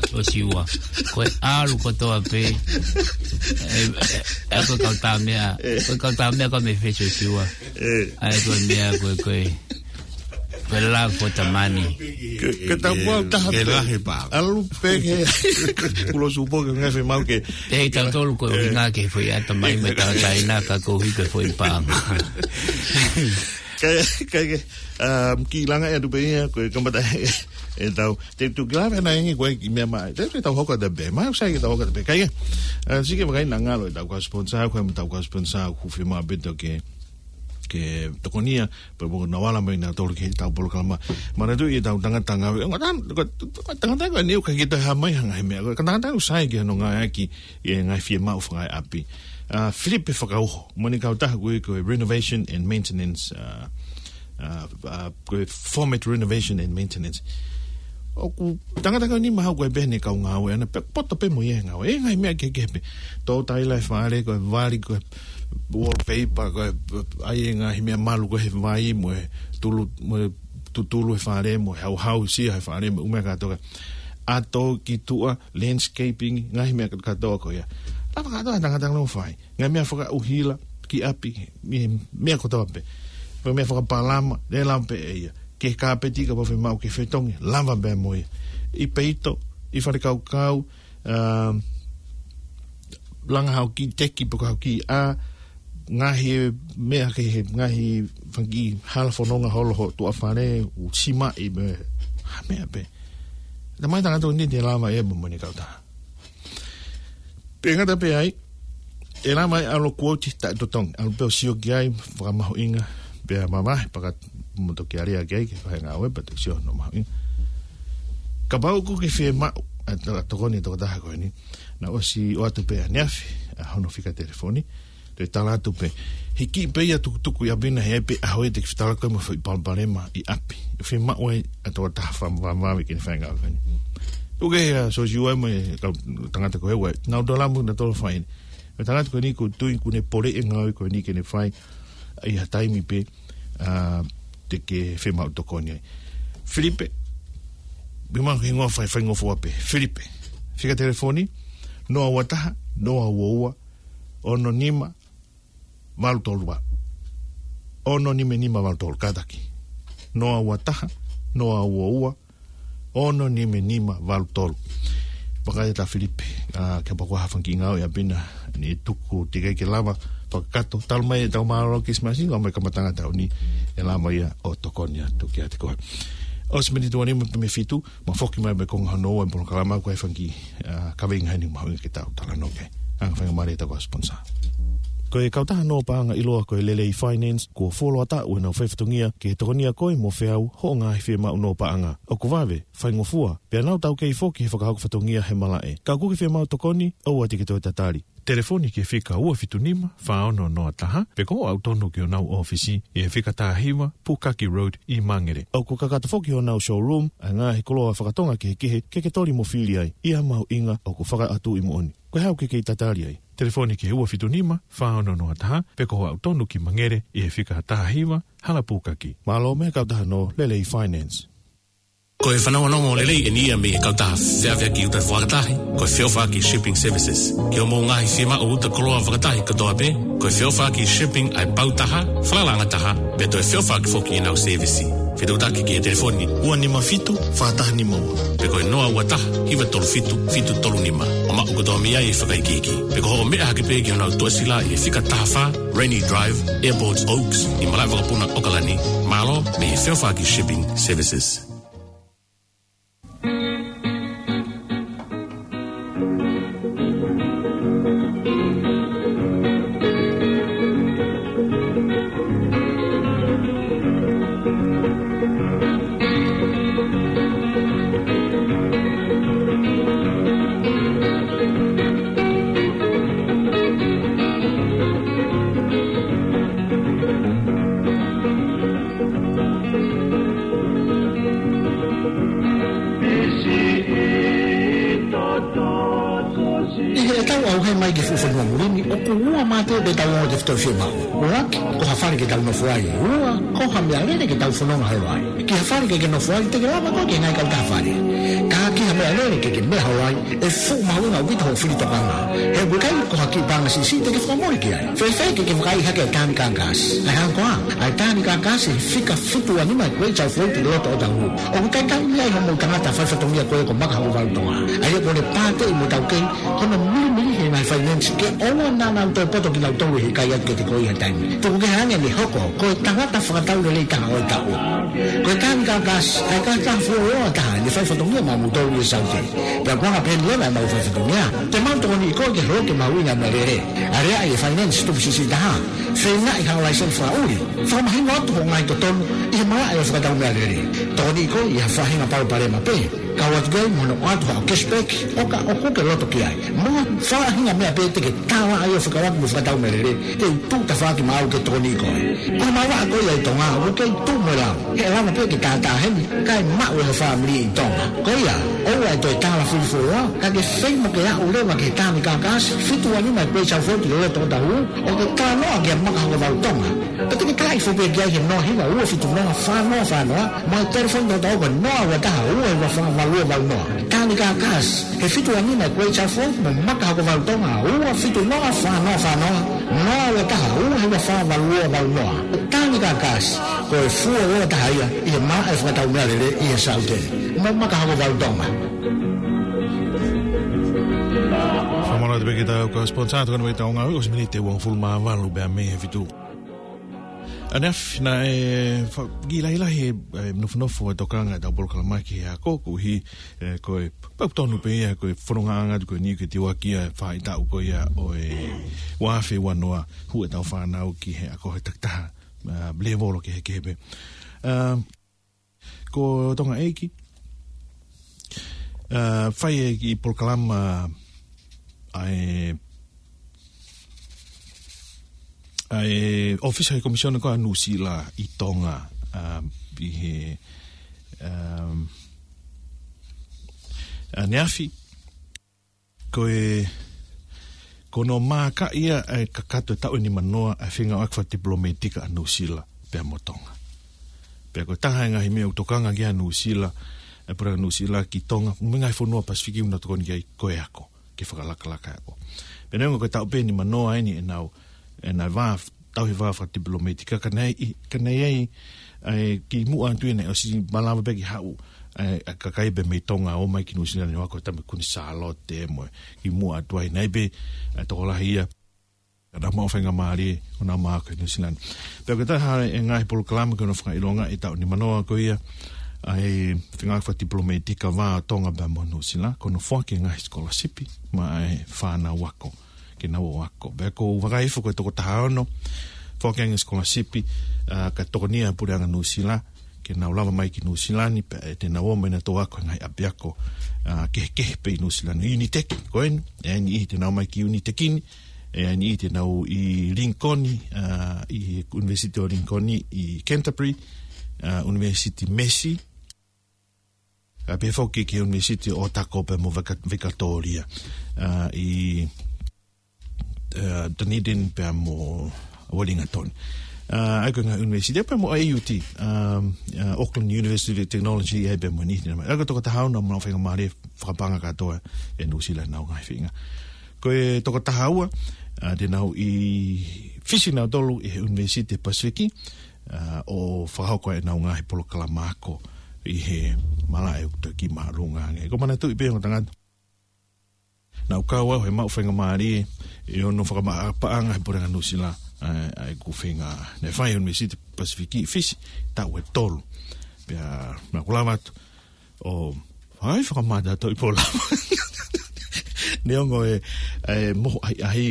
Siosiua. Ko e ʻalu kotoa pē. Ē, ē, ē, ko e kau tā meʻa, ko e kau tā meʻa ko e meʻa fē Siosiua. Ē. ʻA ia ko e meʻa ko e, ko e, ko e love for the money. Ke, ke tau kuo taha ke pē. Lahi paʻanga. ʻAlu pē ke, kulo supo ke ngaahi fiemaʻu ke. Pea ʻi tautolu ko e ʻuhinga ke foʻi ʻatamai mo e tauʻatāina ka ko e ʻuhi ko e foʻi paʻanga. Kae, kae, kae, um, kiʻi langa atu pē ia, ko e kamata ʻe tau, te tu kila pē na ingi ko e kiʻi meʻa mai. Te, te tau hoko atu pē, mai ʻoku sai ke tau hoko atu pē. Kae, uh, sike vakai naʻa ngalo ʻetau kau sponsor, ko e ʻetau kau sponsor, ʻoku fiemaʻu pē ʻetau ke, ke tokonia, pea mo na wala mai nautolu ki heʻetau polokalama. Manatuʻi ʻetau tangata ngāue, ko e tangata, ko e tangata ko eni ʻoku ʻikai ke toe hā mai ha ngaahi meʻa, ko e tangata ʻoku sai ki hono ngāueʻaki ʻi he ngaahi fiemaʻu fakaʻapi. Ā, Filipe Fakauho, mo ʻene kautaha ko e, ko e Renovation and Maintenance, ā, ā, ā, ko e Format Renovation and Maintenance. ʻOku tangata ko eni mahalo ko e pehē ʻene kau ngāue ʻana, pea poto pē mo ia he ngāue. ʻE ngaahi meʻa kehekehe pē. Tō taila e fale, ko e vali, ko e wallpaper, ko e, ʻai e ngaahi meʻa malu ko e he vai, mo e tulu, mo e tutulu he fale, mo e hauhausia he fale, mo e ʻū meʻa kātoa. ʻAto ki tuʻa, landscaping, ngaahi meʻa kātoa ko ia. Lava kātoa e tangata ʻo fai. Ngaahi meʻa fakaʻuhila ki ʻapi, meʻa, meʻa kotoa pē. Meʻa, meʻa fakapalama, lava pē ʻe ia. Ki he kāpeti kapau ʻe fiemaʻu ke fetongi, lava pē mo ia. ʻI peito, ʻi falekaukau, um, langa haʻo kiʻi teki pe ko haʻo kiʻi ʻā, ngaahi meʻa ki he, ngaahi fanga kiʻi hala fononga holo ho tuʻa fale, ʻū simaʻi mo e hā meʻa pē. Tamai tangata ʻoku ʻikai te lava ia mo ʻene kautaha. Pea ngata pē ai, ʻe lava ai ʻalu ʻo quote taʻetotongi, ʻalu pē ʻo sio ki ai, fakamahuʻinga, pea mavahe, pea ka mo toki ʻalu ki ai, ke fai e ngāue, pea toki sio hono mahuʻinga. Kapau ʻoku ke fiemaʻu ʻa e tokoni ʻa e tokotaha ko eni, naʻe ʻosi ʻoatu pē ʻaneafi ʻa hono fika telefoni, toe tala atu pē. Hiki pē ia tukutuku ʻi ʻapi na he ʻe ʻi ai pē ʻaho ia te ke fetala koe mo e foʻi palopalema ʻi ʻapi. ʻE fiemaʻu ai ʻa e tokotaha fakamāmani ke ne fai e ngāue ko eni. Tuku kehe ʻa Siosiua mo e kau tangata ko ē, ʻoku nau toe lava mo nautolu ʻo fai eni. Ko e tangata ko eni ʻoku ou tui ʻoku ne poleʻi e ngāue ko eni ke ne fai ʻi ha taimi pē, ā, te ke fiemaʻu tokoni ai. Filipe, ʻi he hingoa fai, faingofua pē. Filipe. Fika telefoni, noa ua taha, noa ua ua, ono nima, valu tolu valu. ono nima nima valu tolu, kātaki. Noa ua taha, noa ua ua, ono nima nima valu tolu. Vakai atu Filipe, ā, kapau ko ha fanga kiʻi ngāue ʻapi naʻe tuku teʻeki ke lava fakakakato. Talu mai ʻetau mālōlō Kilisimasi, ngā mai kamataʻanga taʻu ni, ʻe lava ia ʻo tokoni atu kiate koe. ʻOsi miniti ua nima pē mei he fitu, mo foki mai mei he konga hono ua ʻo e polokalama, ko e fanga kiʻi, ā, kaveinga heni mahuʻinga ke tau talanoa ki ai. Anga faingamālie ʻetau kau sponsor. Ko e kautaha nō paʻanga ʻiloa ko e Lelei Finance, kuo fuoloa taʻu ʻenau faifatongia ke tokoniʻi koe mo feau hoʻo ngaahi fiemaʻu nō paʻanga. ʻOku vave, faingofua, pea nau taukei foki he fakahoko fatongia he malaʻe. Ka ʻoku ke fiemaʻu tokoni, ʻoua te ke toe tatali. Telefoni ki he fika ua fitu nima, fā ono noa taha, pe ko hoʻo aʻu tonu ki honau ʻōfisi ʻi he fika taha hiva, Pukaki Road ʻi Mangere. ʻOku kakato foki honau showroom ʻa e ngaahi koloa fakatonga kehekehe ke ke toli mo fili ai, ʻi ha mahuʻinga ʻoku fakaʻatuʻi moʻoni. Ko e hā ʻoku ke kei tatali ai? Telefoni ki he ua fitu nima, fā ono noa taha, pe ko hoʻo aʻu tonu ki Mangere ʻi he fika taha hiva, Hala Pukaki. Mālō mei he kautaha nō Lelei Finance. Ko e fanongonongo lelei eni ia mei he kautaha feʻaveʻaki uta fakatahi, ko e Feʻofaʻaki Shipping Services. Ki hoʻomou ngaahi fiemaʻu uta koloa fakatahi kotoa pē, ko e Feʻofaʻaki Shipping ʻa e pau taha, falalaʻanga taha, pea toe feʻofaʻaki foki ʻenau sēvisi. Fetuʻutaki ki he telefoni ua nima fitu, fā taha nima ua, pe ko e noa ua taha, hiva tolu fitu, fitu tolu nima. ʻO maʻu kotoa mei ai e fakaikiiki. Pe ko hoʻo meʻa hake pē ki honau tuʻasila ʻi he fika taha fā, Rainy Drive, Airport Oaks, ʻi Malaʻevakapuna, ʻAokalani. Mālō mei he Feʻofaʻaki Shipping Services. ʻI heʻetau ʻauhē mai ki he fuʻu fonua muli ni, ʻoku ua mā te pē ʻetau ongo tefitoʻi fiemaʻu. ʻUluaki, ko ha fale ke tau nofo ai. Ua, ko ha meʻalele ke tau fononga holo ai. Ki ha fale ke ke nofo ai, te ke lava koe ki he ngaahi kautaha fale. Ka ki ha meʻalele ke ke meʻa holo ai, ʻe fuʻu mahuʻinga ʻaupito hoʻo fili tokanga. He ʻoku ʻikai ko ha kiʻi paʻanga siʻisiʻi te ke fakamole ki ai. Fēfē ke ke vakaiʻi hake e tāniki ʻa e kākasi? ʻA e hangē ko ā, ʻa e tāniki ʻa e kākasi he fika fitu ua nima Great South Road ʻi loto ʻo Otahuhu. ʻOku talitali mei ai hoʻomou tangata faifatongia ko ē ko Maka Hokovalu Tonga. ʻA ia ʻoku ne pāteʻi mo taukei hono milimili he ngaahi finance ke ʻoua naʻa nau toe poto kinautolu he ʻikai atu kiate koe ʻi ha taimi. Tuku kehe ange ʻene hoko ko e tangata fakatau lelei taha ʻo e taʻu. Ko e tāniki ʻa e kākasi, ʻa e kākasi fuoloa taha ʻene faifatongia maʻamoutolu ʻi he Saute. Pea ko e anga pē ʻeni leva ʻemau faifatongia, te mau tokoniʻi koe ke holoki e mahuʻinga ʻo e meʻalele. Aleaʻi e finance tupu siʻisiʻi taha. Feingaʻi haʻo laiseni fakaʻuli. Fakamahino atu hoʻo ngaahi totonu ʻi he malaʻe ʻo e fakatau meʻalele. Tokoniʻi koe ʻi ha faʻahinga palopalema pē. Kau atu ki ai mo hono ʻoatu haʻo cashback, ʻo ka ʻoku ke loto ki ai. Mo ha faʻahinga meʻa pē te ke tālaʻa ai ʻo fekauʻaki mo e fakatau meʻalele, te u tuʻu tafaʻaki maʻau ke tokoniʻi koe. Ko e malanga ko ia ʻi Tonga, ʻoku kei tuʻu mo e lau. He ʻe lava pē ke tātā heni, kae maʻu ʻe ho fāmili ʻi Tonga. Ko ia, ʻoua ʻe toe tālafili fuoloa, ka ke fai mo ke aʻu leva ki he tāniki ʻa e kākasi, fitu ua nima Great South Road ʻi loto ʻo Otahuhu, ʻo ke talanoa kia Maka Hokovalu Tonga. Pea te ke talaʻi foki pē ki ai he noa hiva ua fitu noa fā noa fā noa, mo e telefoni tautau ko e noa ua taha ua hiva fā valu ua valu noa. Tāniki ʻa e kākasi, he fitu ua nima Great South Road mo Maka Hokovalu Tonga, ua fitu noa fā noa fā noa, noa ua taha ua hiva fā valu ua valu noa. Tāniki ʻa e kākasi, ko e fuoloa taha ia ʻi he malaʻe fakatau meʻalele ʻi he Saute. Mo Maka Hokovalu Tonga. Fakamālō atu pē ki heʻetau kau sponsor, tokoni mai ki heʻetau ngāue, ʻosi miniti ʻe uofulu mā valu pē mei he fitu. ʻAneafi, naʻe fa-, kiʻi lahilahi e, e, nofonofo e tokanga ʻetau polokalama ki he ako, koeʻuhi, e, ko e pau tonu pē ia, ko e fonongaʻanga atu ko eni ke tiuaki ʻa e faʻahitaʻu ko ia ʻo e ua afe ua noa, hū ʻetau fānau ki he ako he takitaha, a, lēvolo kehekehe pē. A, Ko Tonga ʻEiki, a, fai e kiʻi polokalama ʻa e, ʻa e ʻōfisi ʻa e Komisiona ko ia ʻa Nuʻusila ʻi Tonga, a, ʻi he, um, ʻaneafi. Ko e, ko hono maaka ia ʻa e kakato e taʻu ʻe nimanoa ʻa e fengāueʻaki fakatipilometika ʻa Nuʻusila pea mo Tonga. Pea ko e taha e ngaahi meʻa ʻoku tokanga ki ai ʻa Nuʻusila, e Puleʻanga Nuʻusila ki Tonga, mo e ngaahi fonua Pasifiki ʻoku nau tokoni ki ai ko e ako, ke fakalakalaka e ako. Pea neongo ko e taʻu pē ʻe nimanoa eni ʻenau, ʻenau vā ʻauha fakatipilometika, ka naʻe ʻi-, ka naʻe ʻi ai, ʻa e kimuʻa atu ia naʻe ʻosi malava pē ke haʻu, ʻa e, ʻa e kakai pē mei Tonga ʻo ō mai ki Nuʻusila ni ʻo ako he taimi ko eni Sālote mo e kimuʻa atu ai naʻe pē, ʻa e tokolahi ia, ka nau maʻu faingamālie ʻo nau ō mai ʻo ako ʻi Nuʻusila ni. Pea ko e taha e ngaahi polokalama ko ē naʻe fakaʻilonga ʻi he taʻu nimanoa ko ia, ʻa e feinga fakatipilometika vā ʻo Tonga pea mo Nuʻusila, ko hono foaki e ngaahi sikolasipi maʻa e fānau ako ke nau ō ako. Pea ʻoku ou vakai hifo ko e toko taha ono, foaki e ngaahi sikolasipi, ʻa, ka tokonia ʻe he Puleʻanga Nuʻusila ke nau lava mai ki Nuʻusila ni, pea te nau ō mai ʻo nau ako he ngaahi ʻapiako, ʻa, kehekehe pē ʻi Nuʻusila ni. Unitec ko eni, ʻe ʻi ai e niʻihi te nau ō mai ki Unitec ni, ʻe ʻi ai e niʻihi te nau ō ʻi Lincoln, ʻa, ʻi he ʻUnivēsiti ʻo Lincoln ʻi Canterbury, ʻa, ʻUnivēsiti Massey, ʻa, pehē foki ki he ʻUnivēsiti ʻo Otago pea mo Vika-, Vikatōlia, ʻa, ʻi, ʻa, Dunedin pea mo Wellington. ʻA, ʻa ia ko e ngaahi ʻunivēsiti pea mo A U T, ʻa, ʻa, Auckland University of Technology, ʻa ia pea mo e niʻihi naʻe ō mai. ʻA ia ko e toko taha ono naʻa nau maʻu faingamālie fakapaʻanga kātoa ʻe Nuʻusila ʻenau ngaahi feinga. Ko e toko taha ua, ʻa, te nau ʻi Fisi nautolu ʻi he ʻUnivēsiti Pasifiki, ʻa, ʻo fakahoko ʻenau ngaahi polokalama ako ʻi he malaʻe ʻoku toe kiʻi māʻolunga ange. ʻOku ou manatuʻi pē ongo tangata naʻa ku kau au he maʻu faingamālie ʻi hono fakapaʻanga ʻe he Puleʻanga Nuʻusila, ʻa, ʻa ʻeku feinga naʻe fai he ʻUnivēsiti Pasifiki ʻi Fisi, taʻu ʻe tolu. Pea naʻa ku lava atu ʻo fai fakamātoato ʻi polokalama. Neongo e, e mohu ʻahiʻahi,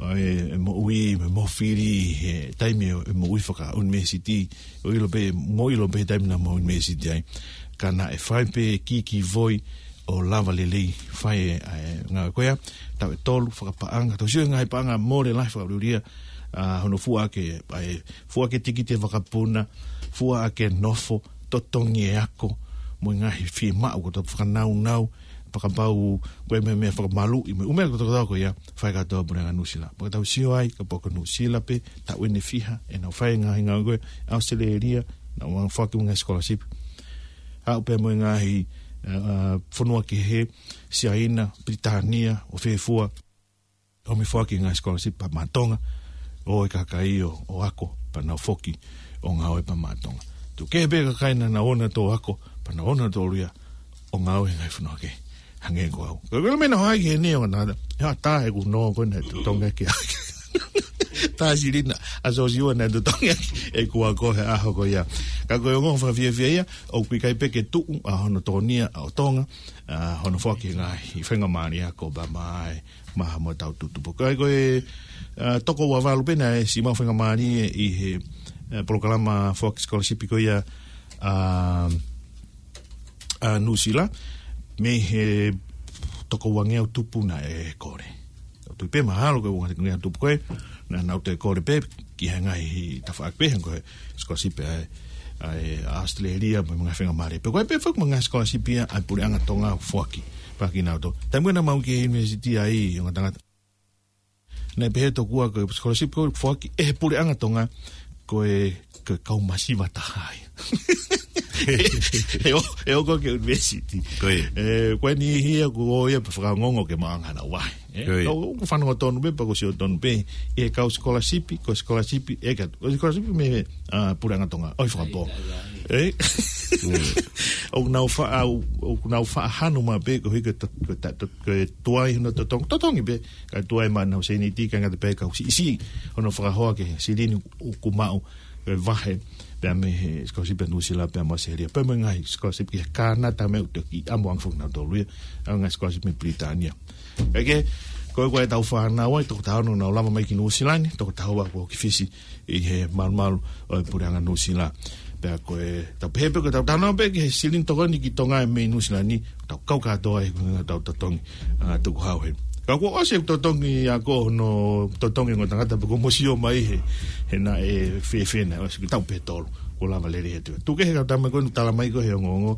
e, e moʻui, e mohu fili, he taimi e, e moʻui fakaʻunivēsiti, ʻo ʻilo pē, mou ʻilo pē he taimi naʻa mou ʻunivēsiti ai. Ka naʻe fai pē kiki voi ʻo lava lelei fai e, e ngāue ko ia, taʻu ʻe tolu fakapaʻanga, tau sio he ngaahi paʻanga mole lahi fakaʻuliʻulia, ʻa, hono fua ʻaki, ʻa e, fua ʻaki e tikite vakapuna, fua ʻaki e nofo, totongi e ako, mo e ngaahi fiemaʻu ko e tau fakanaunau, fakapau ko e meʻa, meʻa fakamaluʻi, mo e ʻū meʻa ko e tau ko ia, fai kātoa Puleʻanga Nuʻusila. Pea tau sio ai, kapau ko Nuʻusila pē, taʻu ʻe fiha, ʻenau fai e ngaahi ngāue ko ē, ʻAositelēlia, naʻa nau foaki e ngaahi scholarship. Aʻu pē mo e ngaahi, ʻa, ʻa, fonua kehe, Siaina, Pilitānia, ʻo fē fua, ʻo mei foaki e ngaahi scholarship pea maʻa Tonga, ʻo e kakai ʻo, ʻo ako, pea nau foki ʻo ngāue pea maʻa Tonga. Tuku kehe pē kakai naʻa nau ō nautolu ʻo ako, pea nau ō nautolu ia ʻo ngāue he ngaahi fonua kehe. Hangē ko au. Ko e meʻa naʻe hā ki heni ʻo ngata, ʻe hā tā ʻeku nō ko ē naʻe totongi ʻaki. Tā silini ʻa Siosiua naʻe totongi ʻaki ʻeku ako he ʻaho ko ia. Ka ko e ongo fakafiefia ia, ʻoku ʻikai pē ke tuʻu ʻa hono tokonia ʻo Tonga, ʻa, hono foaki e ngaahi faingamālie ako pea maʻa e maha mo tau tutupu. Ko e, ko e, ʻa, toko ua valu pē naʻe siʻi maʻu faingamālie ʻi he, ʻa, polokalama foaki scholarship ko ia, ʻa, ʻa Nuʻusila, mei he toko uangeau tupu naʻe kole. ʻOku ou tui pē mahalo ko e uangeau tupu ko ē, naʻa nau toe kole pē, ki he ngaahi tafaʻaki pehē ko e scholarship ʻa e, ʻa e ʻAositelēlia mo e ngaahi faingamālie. Pea ko e pē foki mo e ngaahi scholarship ia ʻa e Puleʻanga Tonga ʻoku foaki pē kiate kinautolu. Taimi naʻa mau ki he university ai, ongo tangata. Naʻe pehē tokua ko e scholarship ko ē ʻoku foaki ʻe he Puleʻanga Tonga ko e, ko e kau masiva taha ia. ʻE ō, ʻe ō ko ē ki he university. Ko e. ʻE, ko e niʻihi ia ʻoku ō ia pea fakaongoongo ke maʻu ange ʻenau vahe. ʻE, ʻio, ʻio. Ka ʻoku ou fanongo tonu pē, pea ʻoku ou sio tonu pē, ʻi he kau scholarship, ko e scholarship, ʻe ka, ko e scholarship mei he, ʻa, Puleʻanga Tonga, ʻoku ʻi Fakapō. ʻE? ʻIo. ʻOku nau faʻa, ʻoku nau faʻa hanu mai pē, koeʻuhi ko e to-, ko e ta-, to-, ko e tuai hono totongi, totongi pē, ka tuai maʻa ʻenau sēniti, ka ngata pē kau siʻisiʻi, hono fakahoa ki he silini ʻoku maʻu, e vahe, pea mei he scholarship ʻa Nuʻusila, pea mo ʻAositelēlia, pea mo e ngaahi scholarship ki he Kānata mo e ʻUteki, ʻa mo ange foki nautolu ia, ʻa e ngaahi scholarship mei Pilitānia. Kae kehe, ko e, ko e tau fānau ai, toko taha ono nau lava mai ki Nuʻusila ni, toko taha ua kuo ō ki Fisi, ʻi he malumalu ʻo e Puleʻanga Nuʻusila. Pea ko e, tau pehē pē ko e tau tano pē ki he silini tokoni ki Tonga mei Nuʻusila ni, tau kau kātoa ai, ko e tau totongi, ʻa, tukuhau heni. Ka kuo ʻosi e totongi ako hono totongi ongo tangata pea kuo mou sio mai he, he naʻe fēfē naʻe ʻosi ki he taʻu pē ʻe tolu. Kuo lava lelei he tuʻa. Tuku kehe kau tama ko ē naʻe tala mai ko ē he ongoongo.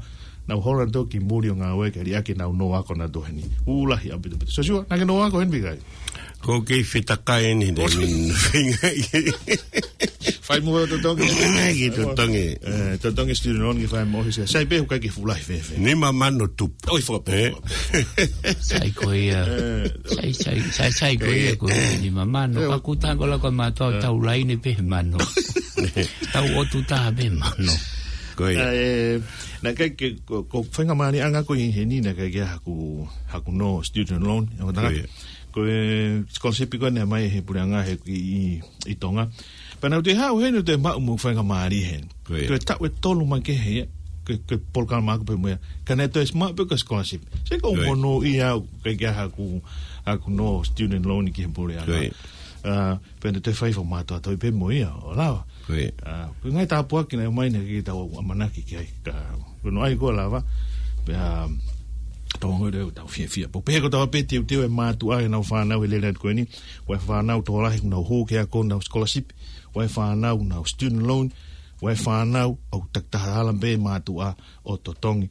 Nau hola nautolu ki muli ʻo ngāue ke liʻaki ʻenau nō ako nautolu heni. ʻUluaki ʻaupito ʻaupito. Siosiua, naʻa ke nō ako heni pe ʻikai? ʻOku ou kei fetakai eni, Dēmini. Fai mo totongi. Ki totongi. Eh, totongi student loan ke fai mo hisi. Sai pē ʻoku ʻikai ke fuʻu lahi fēfē. Nima mano tupu. ʻOi, fua, fua, fua. Sai ko ia. Eh. Sai, sai, sai, sai ko ia, ko ia nima mano. Eh. Ka kuo tango la ko mātou tau laine pē mano. Tau ʻotu taha pē mano. Ko ia. Eh, naʻe ʻikai ke, ko, ko faingamālie ʻanga ko ē heni naʻe ʻikai ke haku, haku nō student loan. Ko ia. Ko e scholarship ko ē naʻe ʻomai he puleʻanga he ʻi, ʻi Tonga. Pea naʻa ku toe haʻu heni toe maʻu mo faingamālie heni. Ko ia. Toe taʻu ʻe tolu mai kehe ia, ko e, ko e polokalama ʻaku pē mo ia. Ka naʻe toe maʻu pē ko e scholarship. Sai ko e monūʻia au, ʻikai ke haku, haku nō student loan ki he puleʻanga. Ko ia. Ah, pea naʻe toe fai fakamātoato pē mo ia, ʻo lava. Ko ia. Ah, ko e ngaahi tāpuaki naʻe ʻomai naʻe ʻikai ke tau ʻamanaki ki ai. Ka, ko hono ʻai ko ē lava. Pea, tau ngoi leo tau fiefia. Pea pehē ko ʻetau pē teuteu e mātuʻa ʻenau fānau he lele atu ko eni. Ua e fānau tokolahi ʻoku nau hū ki he ako ʻenau scholarship. Ua e fānau ʻoku nau student loan. Ua e fānau ʻoku takitaha ala pē mātuʻa ʻo totongi.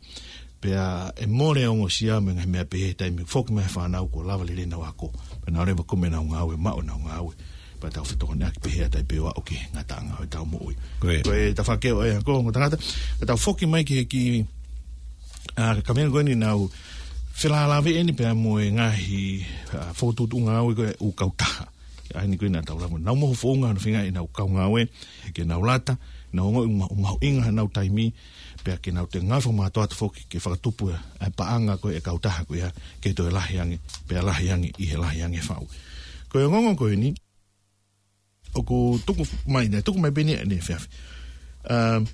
Pea ʻe mole ongosia mo e ngaahi meʻa pehē he taimi foki mai e fānau kuo lava lelei ʻenau ako. Pea nau leva kumi ʻenau ngāue, maʻu ʻenau ngāue. Pea tau fetokoniʻaki pehē ʻa e taʻepēoaʻi ki he ngataʻanga ʻo ʻetau moʻui. Ko ia. Ko e tafaʻaki ʻo e ako, ongo tangata, ka tau foki mai ki he kiʻi, ah, ka meʻa ko eni naʻa ku felālāveʻi eni pea mo e ngaahi, ah, fokotuʻutuʻu ngāue ko ē ʻū kautaha. ʻA eni ko ē naʻa tau lava. Nau mohu founga hono feinga ʻenau kau ngāue, ke nau lata, nau ongoʻi ma-, mahuʻinga ʻenau taimi, pea ke nau toe ngāue fakamātoato foki, ke fakatupu ʻa e paʻanga ko ē ʻa e kautaha ko ia, ke toe lahi ange, pea lahi ange, ʻi he lahi ange faʻu. Ko e ongoongo ko eni, ʻoku tuku mai, naʻe tuku mai pē eni ʻanefē. Um,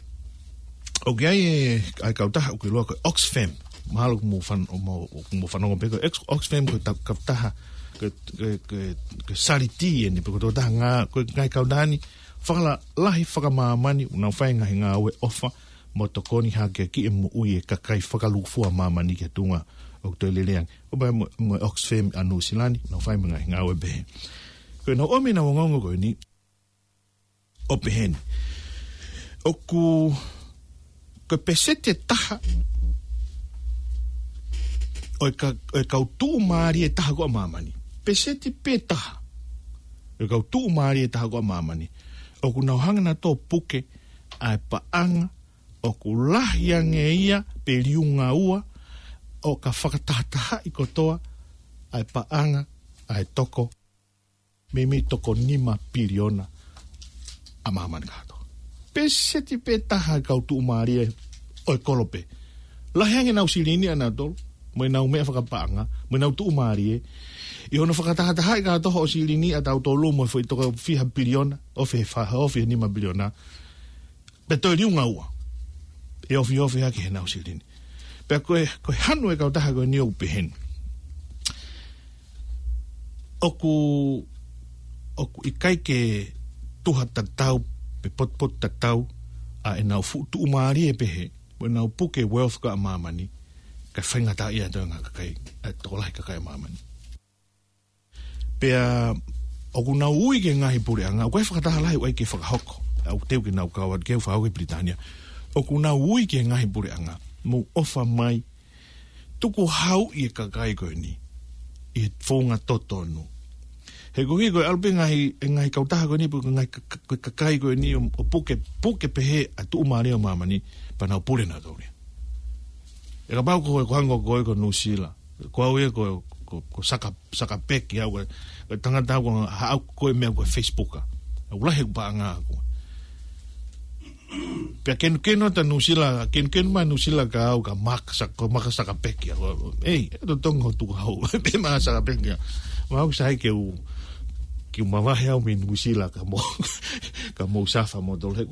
ʻoku ʻi ai e, ʻa e kautaha ʻoku ʻiloa ko e Oxfam. Mahalo ʻoku mou fan-, ʻo mou, ʻoku mou fanongo pē ko e Ox-, Oxfam ko e ta-, kautaha, ko e, ko e, ko e, ko e saliti eni, pe ko e tokotaha ngā-, ko e ngaahi kautaha ni, fakalalahi fakamāmani, ʻoku nau fai e ngaahi ngāue ʻofa, mo tokoni hake ki he moʻui e kakai fakalūkufua ʻa māmani ki he tuʻunga ʻoku toe lelei ange. ʻO pehē mo, mo e Oxfam ʻa Nuʻusila ni, nau fai mo e ngaahi ngāue pehē. Ko ʻenau ʻomi ʻenau ongoongo ko eni, ʻo pehē ni. ʻOku, ko e peseti ʻe taha ʻo e ka-, ʻo e kau tuʻumālie ʻe taha ko ē ʻa māmani. Peseti pē taha ʻo e kau tuʻumālie ʻe taha ko ē ʻa māmani. ʻOku nau hanga nautolu ʻo puke ʻa e paʻanga ʻoku lahi ange ia pe liunga ua ʻo ka fakatahatahaʻi kotoa ʻa e paʻanga ʻa e toko meimei toko nima piliona ʻa māmani kātoa. Peseti pē taha ʻo e kau tuʻumālie ʻo e kolope. Lahi ange ʻenau silini ʻanautolu, mo ʻenau meʻa fakapaʻanga, mo ʻenau tuʻumālie. ʻI hono fakatahatahaʻi kātoa hoʻo silini ʻatautolu mo e foʻi toko fiha piliona, ofi he fa-, ofi he nima piliona. Pea toe liunga ua. ʻE ofiofi hake heʻenau silini. Pea ko e, ko e hanu e kautaha ko eni ʻoku pehē ni. ʻOku, ʻoku ʻikai ke tuha tatau, pe potupotu tatau, ʻa ʻenau fuʻu tuʻumālie pehē, mo ʻenau puke wealth ko ē ʻa māmani, kae faingataʻaʻia ʻa e toenga kakai, ʻa e tokolahi kakai ʻa māmani. Pea ʻoku nau ui ki he ngaahi puleʻanga, ʻoku ʻi ai e fakataha lahi ʻoku ʻai ke fakahoko. ʻOku teu ke nau kau atu ke u fakahoko ʻi Pilitānia. ʻOku nau ui ki he ngaahi puleʻanga, mou ʻofa mai, tukuhauʻi e kakai ko eni ʻi he founga totonu. He koeʻuhi ko e ʻalu pē ngaahi, e ngaahi kautaha ko eni, pe ko e ngaahi ka-, ka-, kakai ko eni ʻo, ʻo puke, puke pehē ʻa e tuʻumālie ʻo māmani, pea nau pule nautolu ia. ʻE kapau ko e, ko e hangē ko e ko Nuʻusila. Ko au ia ko, ko, ko Saka, Saka Peki au, ko e, ko e tangata au ko e haʻu ko e meʻa ko e Facebook a. ʻOku lahi e paʻanga ʻaku. Pea kenukenu atu ʻa Nuʻusila, kenukenu mai ʻa Nuʻusila kia au ka Maka Sa-, ko Maka Saka Peki au. Ei, ʻe totongi hoʻo tukuhau. Pea Maka Saka Peki au. Mahalo sai ke u, ke u mavahe au mei Nuʻusila ka mou, ka mou safa moutolu. He,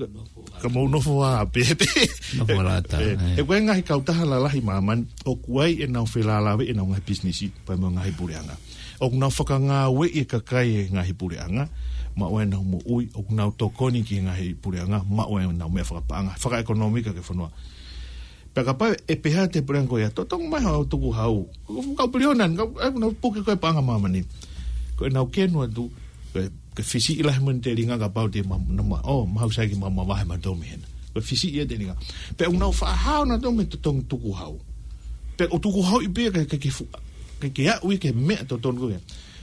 ka mou nofo ā pē, pē. Nofo ā lata, ē, ē. He ko e ngaahi kautaha lalahi ʻa māmani, ʻoku ʻi ai ʻenau felālāveʻi ʻenau ngaahi pisinisi, pea mo e ngaahi puleʻanga. ʻOku nau fakangāueʻi e kakai ʻi he ngaahi puleʻanga, maʻu ai ʻenau moʻui, ʻoku nau tokoni ki he ngaahi puleʻanga, maʻu ai ʻenau meʻa fakapaʻanga, fakaʻekonōmika ki he fonua. Pea kapau ʻe pehē atu e puleʻanga ko ia, totongi mai hoʻo tukuhau. Kau piliona, kau, ʻe, nau puke ko ē paʻanga ʻa māmani. Ko ʻenau kenu atu, ko e, ko e fisiʻi lahi mo e telinga kapau te ma-, na ma-, ʻo, mahalo sai ke ma-, mavahe mautolu mei hena. Ko e fisiʻi e telinga. Pea ʻoku nau faʻa hao nautolu mei he totongi tukuhau. Pea ʻoku tukuhauʻi pē ia ke, ke, ke fu-, ke, ke aʻu ia ki he meʻa totonu ko ia.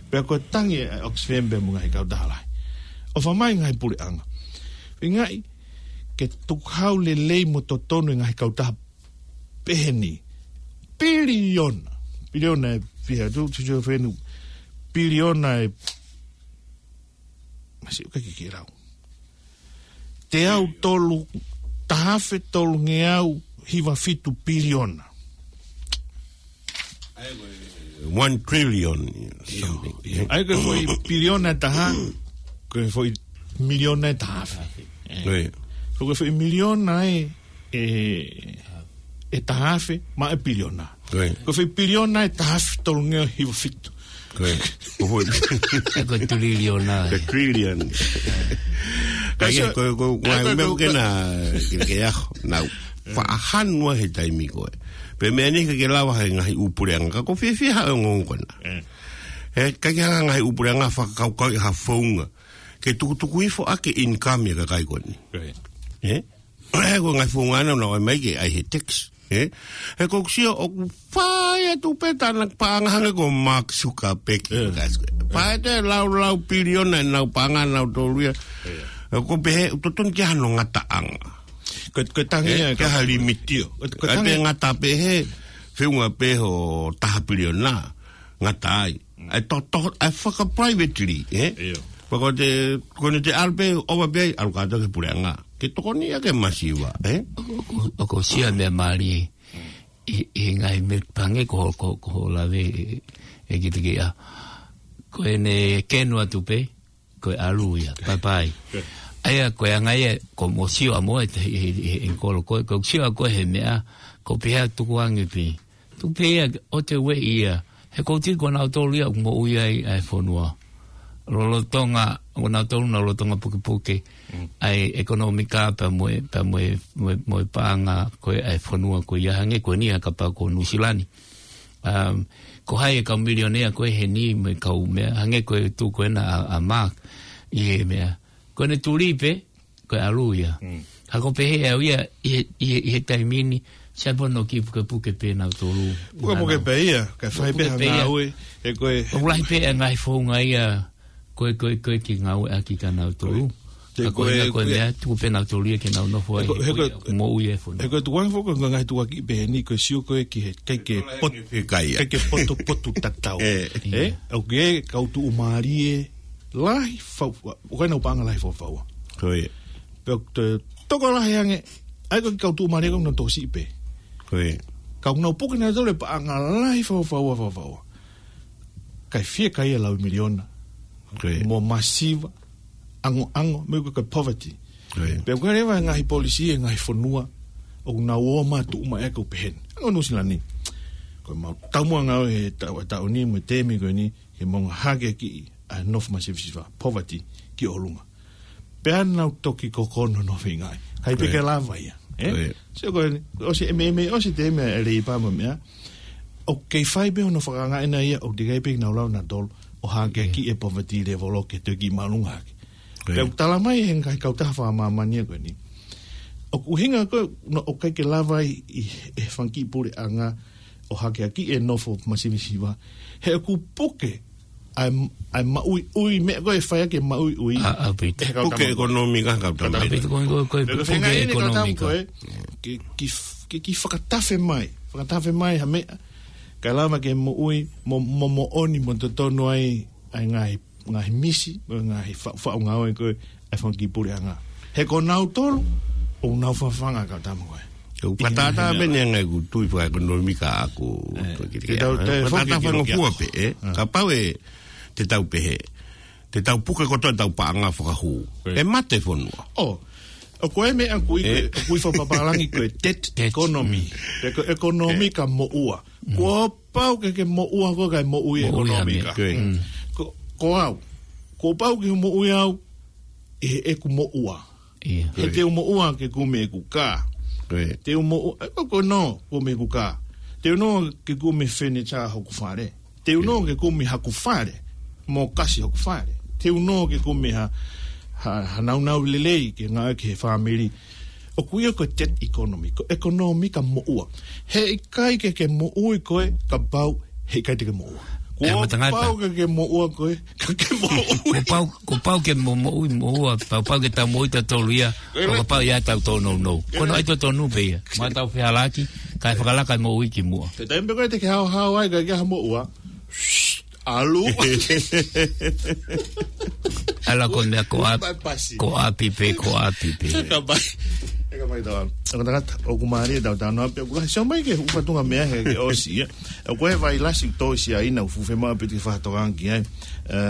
Pea ko e tangi ʻa e Oxfam pea mo e ngaahi kautaha lahi. ʻOfa mai ngaahi puleʻanga. Pingaʻi ke tukuhau lelei mo totonu e ngaahi kautaha pehē ni. Piliona. Piliona e fiha tu, tu, tu, fenu. Piliona e, masi uka ki ki lau. Teau tolu, taha afe tolungeau hiva fitu piliona. One trillion something. ʻIo. ʻA ia ko e foʻi piliona e taha, ko e foʻi miliona e taha afe. ʻIo. Ko e foʻi miliona e, e, e taha afe, maʻa e piliona. ʻIo. Ko e foʻi piliona e taha afe tolungeau hiva fitu. ʻIo. Ko e foʻi Ko e trillion ʻa e. Ko e trillion. Ka Ka ia, sio, ko, ko, ka ngaahi ko, meʻa ko, ke ko, na, ke, ke aho, nau. Faʻahanu he taimi ko ē. Pea meʻa ni ke ke lava he ngaahi ʻū puleʻanga, ka ko e fiefia ha ongo ko na. Mm. He, ka ke ha ngaahi ʻū puleʻanga fakakaukau ʻi ha founga. Ke tukutuku hifo ʻaki e income ʻa e kakai ko eni. Right. Ē? Ko e ngaahi founga na, na ʻomai ke ʻai he tax. Ē? He ko e sio ʻoku fai atu pē tana paʻanga hangē ko Mark Zuckerberg. Ē. Fai atu e lau lau piliona ʻenau paʻanga nautolu ia. Ē. Ē, ko e pehē, ʻoku totonu ke ʻi ai hano ngataʻanga. Ko, ko e tangi Ē, ia, ke ko, ha limiti ʻo. Ko, ko e ʻAi pē tangi. Ngata pē he, feʻunga pē ho taha piliona. Ngata ai. ʻAi to, to, ʻai faka-privately, ē? ʻIo. Pea ko te, ko ne te ʻalu pē, ʻova pē, ʻalu kātoa ki he puleʻanga. Ke tokoni ia ke masiva, ē? ʻOku, ʻoku, ʻoku sia meʻa mālie. ʻI, ʻi he ngaahi meʻa pange ko, ko, ko hoʻo lave ʻe, ʻe ki te ki a. Ko ʻene kenu atu pē, ko e ʻalu ia, bye bye. ʻA ia ko e anga ia, ko mo sio a mo e te, he, he, he, he kolo ko, ko sio a ko he meʻa, ko pehea tuku ange pē. Tuku pē ia, ʻo te ueʻi ia. He ko tiki ko nautolu ia, ʻoku moʻui ai, ʻa e fonua. Lolotonga, ko nautolu na lolotonga pukepuke. Mm. ʻA e ʻekonōmika pea mo e, pea mo e, mo e, mo e paʻanga ko ē ʻa e fonua ko ia hangē ko eni ʻa kapau ko Nuʻusila ni. Um, ko hai e kau milionea ko ē heni mo e kau meʻa, hangē ko e tuʻu ko ena ʻa, ʻa Mark, ʻi he meʻa. Ko ʻene tuli pē, ko e ʻalu ia. Mm. Ha ko pehē ʻe au ia, ʻi he, ʻi he, ʻi he taimi ni, sai pē hono kiʻi pukepuke pē nautolu. Pukepuke pē ia, kae fai pē Pukepuke ha pē ia. ngāue, he ko e ʻOku lahi pē e ngaahi founga ia, ko e, ko e, ko e kiʻi ngāueʻaki kia nautolu. Te Ka ko ko e, ena ko e Ko e meʻa, tuku pē nautolu ia ke nau nofo ai, He ko, he he ko e, ko e, moʻui e fonua. he ko e tukuange foki ko e ngaahi tukuakiʻi pehē ni, ko e sio ko ē ki he ʻikai ke pot-, He ko e kai ia. ʻikai ke potopoto tatau. Ē. Ē? ʻIo. ʻOku ʻi ai e kau tuʻumālie lahi fau-, ʻoku ʻi ai ʻenau paʻanga lahi faufaua. Ko ia. Pea ʻoku te tokolahi ange, ʻa ia ko e kau tuʻumālie ko ē naʻa nau tokosiʻi pē. Ko ia. Ka ʻoku nau puke nautolu e paʻanga lahi faufaua, faufaua. Kae fiekaia e lau miliona. Ko ia. Mo masiva, ʻangoʻango, mo e ko e poverty. Ko ia. Pea ʻoku ʻi ai leva e ngaahi policy e ngaahi fonua, ʻoku nau ō mai tuʻu mai ʻa e kau pehē ni. Hangē ko Nuʻusila ni. Ko e mau taumuʻa ngāue he taʻu, taʻu ni mo e temi ko eni, ke mau ngaahi hakeakiʻi ʻa e nofo masivesiva, poverty, ki ʻolunga. Pea nau toki kokono nofo ʻi ngāue. Kae ʻikai pē Ko ia. ke lava ia, ē? Ko ia. Sio ko eni, ʻosi e meimei, ʻosi e temi e Leipa mo e meʻa. ʻOku kei fai pē hono fakaangaʻi ʻena ia, ʻoku teʻeki ai pē ke nau lava nautolu ʻo hakeakiʻi e poverty level ʻo ke toe kiʻi māʻolunga hake. Ko ia. Pea ʻoku tala mai he ngaahi kautaha fakamāmani ko eni. ʻOku ʻuhinga ko ē, naʻe ʻikai ke lava ai ʻe he fanga kiʻi puleʻanga ʻo hakeakiʻi e nofo masivesiva. He ʻoku puke ʻa e, ʻa e maʻuiʻui, meʻa ko ē ʻe fai ʻaki e maʻuiʻui. ʻA, ʻaupito. ʻE he kau Puke tama. ʻekonōmika, kau tama. ʻAupito ko ē, ko ē, ko ē, Pea ko e puke feinga eni kau tama ʻekonōmika. ko ē, ke, ke, ke, ke fakatafe mai, fakatafe mai ha meʻa, kae lava ke moʻui, mo, mo, moʻoni, mo totonu ai, ʻa e ngaahi, ngaahi misi, mo e ngaahi fa-, faʻu ngāue ko ē, ʻa e fanga kiʻi puleʻanga. He ko nautolu, ʻoku nau fafanga kau tama ko ē. ʻOku fatātā pē ʻeni ʻa e ngaahi kutu ʻi fakaʻekonōmika ʻaku, Ē, ko e kiʻi te tau, ʻā. te Fatātā foki ki fanga lokia. fua pē, ē? Ā. Kapau ʻe, te tau pehē. Te tau puke kotoa ʻetau paʻanga fakahū. Ē. ʻE mate fonua. ʻO, ʻoku ʻi ai e meʻa ʻoku ui, Ē. ʻoku ui fakapapālangi ko e debt Debt. economy. Mm. Pe ko e ʻekonōmika moʻua. Mm. Kuo pau ke ke moʻua koe kae moʻui e Moʻui ha ʻekonōmika. meʻa. Ko ē. Mm. Ko, ko au. Kuo pau ke moʻui au ʻi heʻeku moʻua. ʻIo. He Ko ia. te u moʻua ke kumi ʻeku kā. Ko ia. Te u moʻua, ē, ko, ko nō, kumi ʻeku kā. Te u nō ke kumi fenitā hoku fale. Te u nō Ko ia. ke kumi haku fale. Mo kasi hoku fale. Te u nō ke kumi ha, ha, ha naunau lelei ke ngāue ki he fāmili. ʻOku ʻi ai ko e debt economy, ko e ʻekonōmika moʻua. He ʻikai ke ke moʻui koe kapau, he ʻikai te ke moʻua. ʻE, kuo matangata. Pau ke ke moʻua koe, ka ke moʻui. Kuo pau, kuo pau ke mo-, moʻui, moʻua, pau, pau ke tau moʻui tautolu ia, ʻo kapau ia tau tōnounou. Ko hono ʻai totonu pē ia. Mo tau fehālaaki, kae fakalaka e moʻui ki muʻa. Ko e taimi pē ko ē te ke haohaoa ai, ka ke ha moʻua. Shh, ʻalu. ʻAlu ko e meʻa ko ʻapi, ko ʻapi pē, ko ʻapi pē. Ka pai. ʻE ka pai tau. Ko e tangata, ʻoku mālie ʻetau talanoa pea ʻoku lahi. Sio mai ki he ʻū fatunga meʻa he ke ʻosi ia. ʻOku ʻi ai e vailasi tō ʻi Siaina ʻoku fuʻu fiemaʻu pē ke fakatokanga ki ai. ʻE,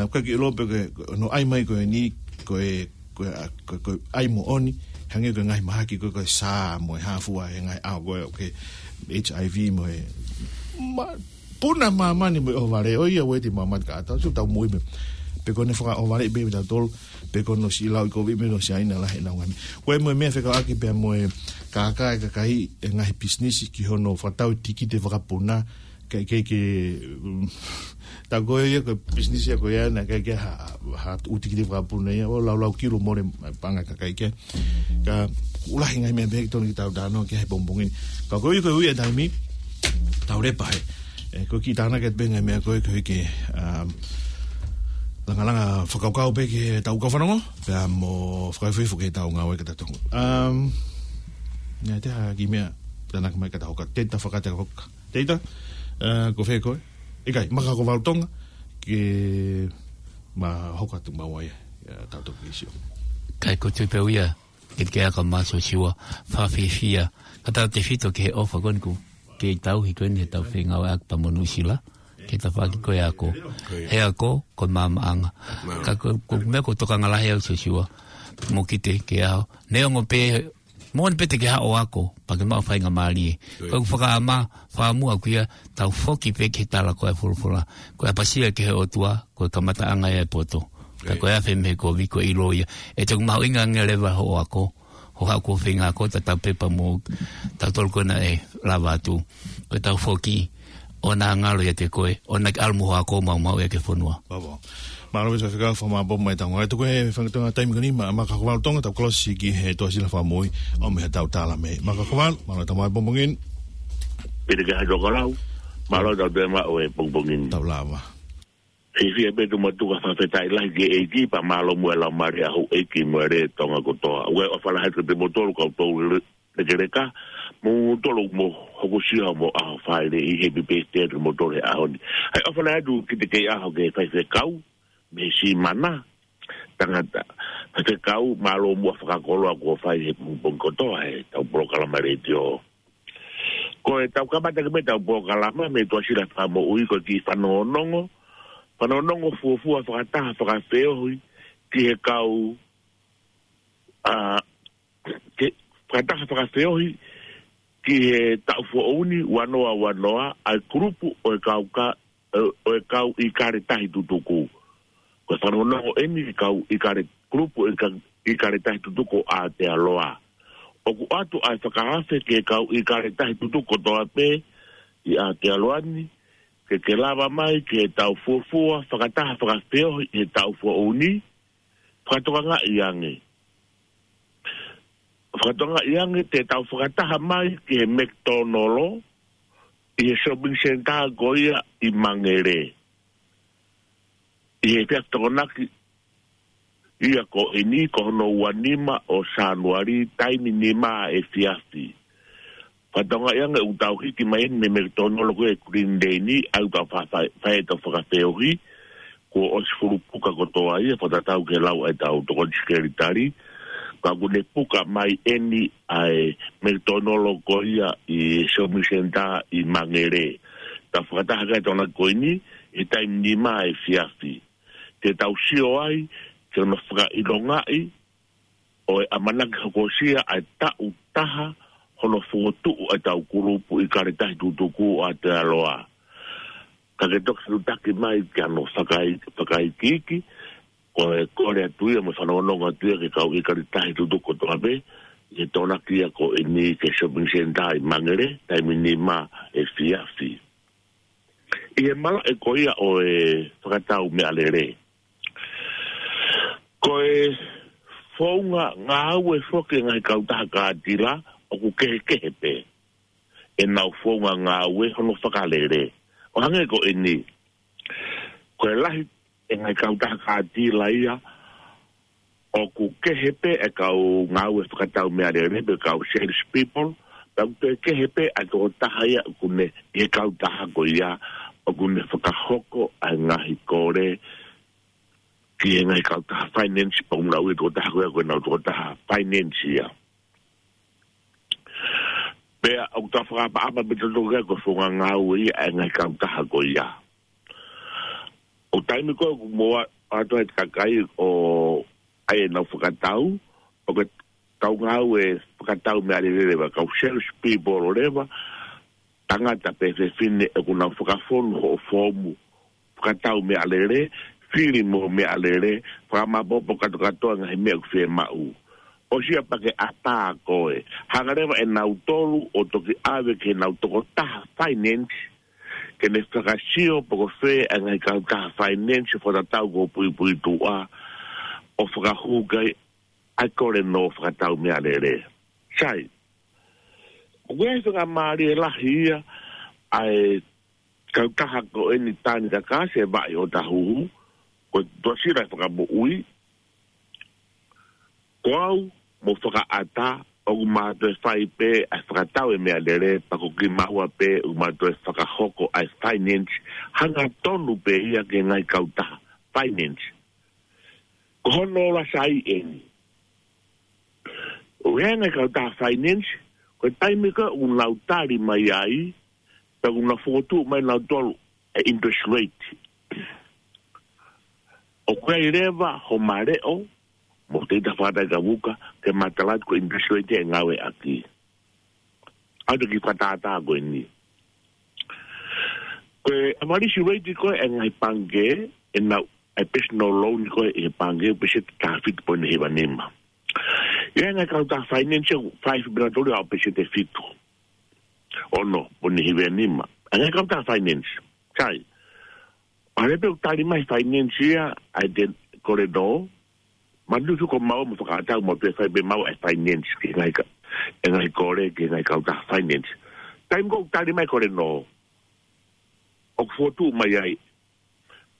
ʻoku ʻikai ke ʻilo pe ko hono ʻai mai ko eni, ko e, ko e, ko e, ko e ʻai moʻoni, hangē ko e ngaahi mahaki ko e, ko e SARS mo e hā fua he ngaahi ʻaho ko e, ko e HIV mo e ma-, puna māmani mo e ʻohovale, ʻo ia ʻoku ʻi ai e māmani ka ʻatā, sio tau moʻui pē. Pe ko ʻene fakaʻohovale pē ʻe tautolu, pe ko hono siʻi lau ʻi Kōviti mo e Siaina lahi ʻenau ngaahi. Ko e mo e meʻa fekauʻaki pea mo e kākā e kakai e ngaahi pisinisi ki hono fakatau tikite fakapuna, ke, ke, ke, mm, tau ko ia ko e pisinisi ia ko ia naʻe ʻikai ke ha, ha ʻū tikite fakapuna ia, ʻo laulau kilo mole paʻanga e kakai ke. Ka ʻoku lahi e ngaahi meʻa pehē ke tonu ke tau talanoa ki ai he pongipongi ni. Ka ko ia ko e ui e taimi, tau lepa he. ʻE, ko e kiʻi tānaki atu pē ngaahi meʻa ko ē, ko e ke, um, langalanga fakakaukau pē ki heʻetau kau fanongo, pea mo fakafoʻou ki heʻetau ngāue ka ta tongo. Um, naʻe ʻi ai ha kiʻi meʻa, tānaki mai ka ta hoka, Teta Fakatahoka. Teta, ʻe, ko fē koe? ʻIkai, Makahokovale Tonga, ke ma hoka atu maua ia, ia tau toki sio. Kae ko e tui pē ia, ke ke aka mā Siosiua, fakafiefia, ka tautefito ki he ʻofa ko eni ʻoku kei tauhi ko eni heʻetau fengāueʻaki pea mo Nuʻusila, ke tafaʻaki ko e ako. He ako, ko e maamaʻanga. Ka ko, ko e meʻa ʻoku tokanga lahi au Siosiua, mo kite ke ao. Neongo pē, moʻoni pē te ke haʻu ʻo ako, pea ke maʻu faingamālie. Ko ʻeku fakaʻamua, fakaʻamua ʻaʻaku ia, tau foki pē ki he tala ko e folofola. Ko e ʻapasia ki he ʻOtua, ko e kamataʻanga ia e poto. Ka ko e afe mei he kovi, ko e ʻilo ia. ʻE toki mahuʻinga ange leva hoʻo ako, hoʻo haʻu ʻo feinga ako, tatau pē pea mo tautolu ko ena ʻe lava atu. Ko ʻetau foki, ʻoua naʻa ngalo ʻiate koe, ʻoua naʻa ke ʻalu mo hoʻo ako maumau ia ki he fonua. Mālō. Mālō ʻaupito Faifekau, fakamālō mai ʻetau ngāue. Tuku e fanga taimi ko eni, Ma-, Makahokovale Tonga, tau kolosi ki he Tuʻasila Fakamoʻui, ʻo mei heʻetau tala mei Makahokovale, mālō ʻetau maʻu e pongipongi ni. Pili ke hai tō kalau, mālō ʻetau toe maʻu e pongipongi ni. Tau lava. Fiefia pē Tumutuka, fakafetaʻi lahi ki he ʻEiki, pea mālō muʻa e laumālie ʻa houʻeiki mo e lea Tonga kotoa. ʻOku ou ʻofa lahi atu kiate kimoutolu kau tau le-, lekeleka, mo kimoutolu ʻoku mou hokosia homou ʻaho Falaite, happy birthday kiate kimoutolu he ʻaho ni. Hai ʻofa lahi atu kiate kimoutolu ki he faifekau, mei Simana, tangata, faifekau, mālō muʻa fakakoloa kuo fai he pongipongi kotoa heʻetau polokalama letiō. Ko ʻetau kamata ke mei heʻetau polokalama, mei Tuʻasila Fakamoʻui, ko e kiʻi fanongonongo, fanongonongo fuofua fakataha fakafeohi ki he kau, ʻa, ke, fakataha fakafeohi ki he taʻu foʻou ni, ua noa ua noa, ʻa e kulupu ʻo e kau ka-, ʻo, ʻo e kau ʻIkale Tahi Tutuku. Ko e fanongonongo eni ki he kau ʻIkale, kulupu ʻIka-, ʻIkale Tahi Tutuku ʻo Aotearoa. ʻOku ʻoatu ʻa e fakaafe ki he kau ʻIkale Tahi Tutuku kotoa pē ʻi Aotearoa ni, ke ke lava mai ki heʻetau fuofua fakataha fakafeohi he taʻu foʻou ni, fakatokangaʻi ange. Fakatokangaʻi ange te tau fakataha mai ki he McDonald ʻi he shopping centre ko ia ʻi Mangere. ʻI he efiafi Tokonaki ia ko eni ko hono ua nima ʻo Sānuali, taimi nima efiafi. Fakatokangaʻi ange ʻoku tau hiki mai eni mei he McDonald ko e Green Day ni, ʻa ia ʻoku tau fa-, fa-, fai ʻetau fakafeohi, kuo ʻosi fulu puka kotoa ia, fakatatau ki he lau ʻa ʻetau tokoni sekelitali, ka ʻoku ne puka mai eni ʻa e McDonald ko ia ʻi he shopping centre ʻi Mangere. Tau fakataha ki ai he Tokonaki ko eni, he taimi nima efiafi. Te tau sio ai, ke ono fakaʻilongaʻi, ʻo e ʻamanaki hokosia ʻa e taʻu taha hono fokotuʻu ʻa ʻetau kulupu ʻIkale Tahi Tutuku ʻo Aotearoa. Ka ke toki fetuʻutaki mai ki hano fakai-, fakaikiiki, ko e kole atu ia mo e fanongonongo atu ia ki he kau ʻIkale Tahi Tutuku kotoa pē, ʻi he Tokonaki ia ko eni ki he shopping centre ʻi Mangere, taimi nima efiafi. ʻI he malaʻe ko ia ʻo e fakatau meʻalele. Ko e founga ngāue foki e ngaahi kautaha kātila ʻoku kehekehe pē ʻenau founga ngāue hono fakalele. ʻO hangē ko eni. Ko e lahi e ngaahi kautaha kātila ia, ʻoku kehe pē e kau ngāue fakatau meʻalele, pe kau sales people, pea ʻoku toe kehe pē ʻa e tokotaha ia ʻoku ne, ʻi he kautaha ko ia, ʻoku ne fakahoko ʻa e ngaahi kole ki he ngaahi kautaha finance, pea ʻoku nau ui e tokotaha ko ia ko e nau tokotaha finance ia. Pea ʻoku tau fakaʻapaʻapa pē tautolu ki ai ko e founga ngāue ia ʻa e ngaahi kautaha ko ia. ʻO taimi ko ē ʻoku mou ʻoatu ai e kakai ʻo ʻai ʻenau fakatau, ʻoku kau ngāue fakatau meʻalele leva, kau sales people ʻo leva, tangata pe fefine ʻoku nau fakafonu hoʻo foomu fakatau meʻalele, fili mo meʻalele, fakamāopoopo kātoa e ngaahi meʻa ʻoku fiemaʻu. ʻOsi ia pea ke ʻatā koe. Hanga leva ʻe nautolu ʻo toki ʻave ki heʻenau tokotaha finance, ke ne fakasio pe ko fē ʻa e ngaahi kautaha finance ʻo fakatatau ki hoʻo puipuituʻa, ʻo fakahū ki ai ʻa e kole nō fakatau meʻalele. Sai, ʻoku ʻi ai e faingamālie lahi ia ʻa e kautaha ko eni Tani Kakasi, Vaʻi ʻo Tahuhu, ko e Tuʻasila Fakamoʻui, ko au mo Fakaʻata, ʻoku ma toe fai pē ʻa e fakatau e meʻalele, pea ko kimaua pē ʻoku ma toe fakahoko ʻa e finance, hangatonu pē ia ki he ngaahi kautaha finance. Ko hono ola sai eni. ʻOku ʻi ai e ngaahi kautaha finance, ko e taimi ko ē ʻoku nau tali mai ai, pea ʻoku nau fokotuʻu mai nautolu e interest rate. ʻOku ʻi ai leva homa leʻo, mo te ita fakataikavuka, ke matala atu ko e interest rate ʻe ngāueʻaki. ʻAu te ki fakatātā ko eni. Ko e average rate ko ē ʻa e ngaahi pangikē, ʻenau, ʻa e personal loan ko ē ʻi he pangikē, peseti taha fitu poini hiva nima. ʻI ai e ngaahi kautaha finance ʻoku fai fibinatoli ʻa peseti fitu. Ono poini hiva nima. ʻA e ngaahi kautaha finance. Sai. ʻA e pē ʻoku tali mai finance ia, ʻa e te kole nō, manatuʻi ko maua mo Fakaʻata ʻoku mau toe fai pē maua e finance ki he ngaahi ka-, e ngaahi kole ki he ngaahi kautaha finance. Taimi ko ē ʻoku tali mai kole nō, ʻoku fokotuʻu mai ai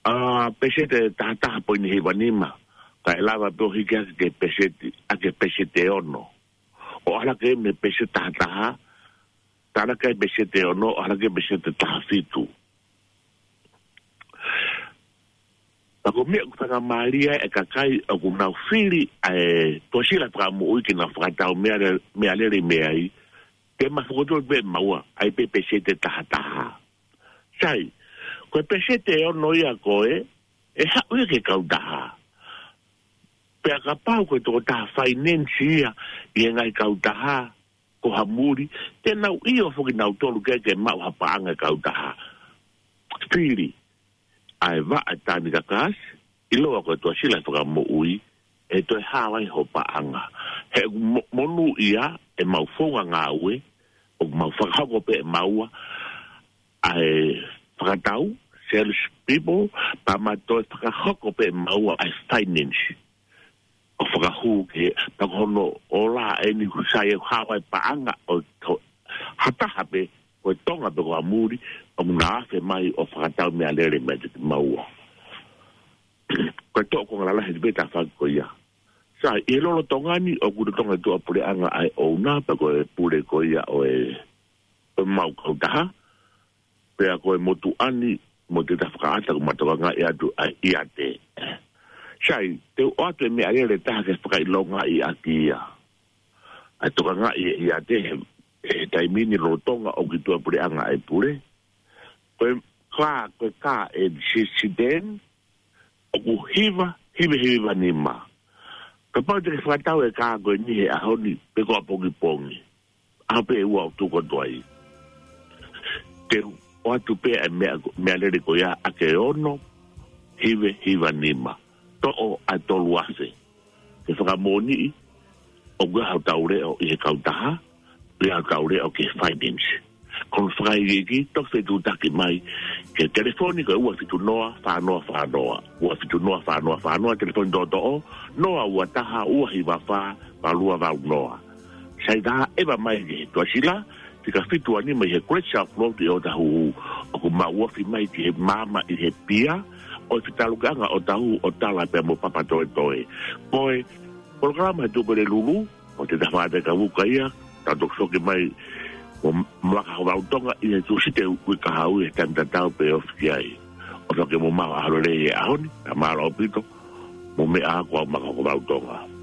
ʻa peseti taha taha poini hiva nima, kae lava pē ʻo hiki hake ki he peseti, ʻa ki he peseti ono. ʻO ʻalu hake mei he peseti taha taha, tala ki he peseti ono, ʻalu hake ki he peseti taha fitu. Pea ko e meʻa ʻoku faingamālie ai e kakai ʻoku nau fili ʻa e Tuʻasila Fakamoʻui ke nau fakatau meʻale-, meʻalele mei ai, te ma fokotuʻu pē maua, ʻai pē peseti taha taha. Sai, ko e peseti ono ia ko ē, ʻe haʻu ia ki he kautaha. Pea kapau ko e tokotaha finance ia ʻi he ngaahi kautaha, ko ha muli, te nau ʻio foki nautolu ke, ke maʻu ha paʻanga e kautaha. Fili ʻa e Vaʻa Tani Kakasi, ʻiloa ko e Tuʻasila Fakamoʻui, ʻe toe hao ai ho paʻanga. He ʻoku mo-, monūʻia ʻemau founga ngāue, ʻoku mau fakahoko pē ʻe maua ʻa e fakatau, sales people, pea ma toe fakahoko pē ʻe maua ʻa e finance. ʻO fakahū ki he, pea ko hono ola eni ʻoku sai ʻe hao ai paʻanga ʻo to-, ha taha pē, ko e Tonga pe ko ha muli, ʻoku na afe mai ʻo fakatau meʻalele meiate kimaua. Ko e toʻo konga lalahi pē tafaʻaki ko ia. Sai, ʻi he lolotonga ni, ʻoku lolotonga e tuʻapuleʻanga ʻa e ʻouna, pe ko e pule ko ia ʻo e, ʻo ʻemau kautaha, pea ko e motuʻa ni, mo te ta Fakaʻata ʻoku ma tokangaʻi atu ʻa e ʻiate. Sai, te u ʻoatu e meʻalele ʻe taha ke fakaʻilongaʻi ʻaki ia. ʻA e tokangaʻi e ʻiate he, he taimi ni lolotonga ʻoku ʻi tuʻapuleʻanga ʻa e pule. Ko e kā, ko e kā ʻe sisiteni, ʻoku hiva, hiva, hiva nima. Kapau te ke fakatau e kā ko eni he ʻaho ni, pe ko ʻapongipongi. ʻAho pē ʻe ua ʻoku tuku atu ai. Te u ʻoatu pē ʻa e meʻa, meʻalele ko ia ʻa e ono, hiva, hiva nima. Toʻo ʻa e tolu afe. Ke fakamoʻoniʻi, ʻoku ʻi ai hotau leʻo ʻi he kautaha, ʻi ai hotau leʻo ki he finance. Ko hono fakaikiiki, toki fetuʻutaki mai, ki he telefoni ko e ua fitu noa, fā noa fā noa. Ua fitu noa, fā noa fā noa, telefoni toʻotoʻo, noa ua taha, ua hiva fā, valu ua valu noa. Sai, tā ʻeva mai ki he Tuʻasila, fika fitu ua nima ʻi he Great South Road ʻi ʻOtahuhu, ʻoku mau ofi mai ki he maama ʻi he pia ʻo e fetaulaki ʻa ʻOtahuhu ʻo tala pea mo Papatoetoe. Ko e polokalama he Tuʻu Pelelulu, ʻo e Tafaʻaki Kavuka ia, tau toki foki mai mo Maka Hovautonga ʻi he Tūsite uike kahaʻu ʻi he taimi tatau pē ofi ki ai. ʻOfa ke mou maʻu ha ʻaho lelei he ʻaho ni, ka mālō ʻaupito, mo meʻa ā, ko au Maka Hovautonga.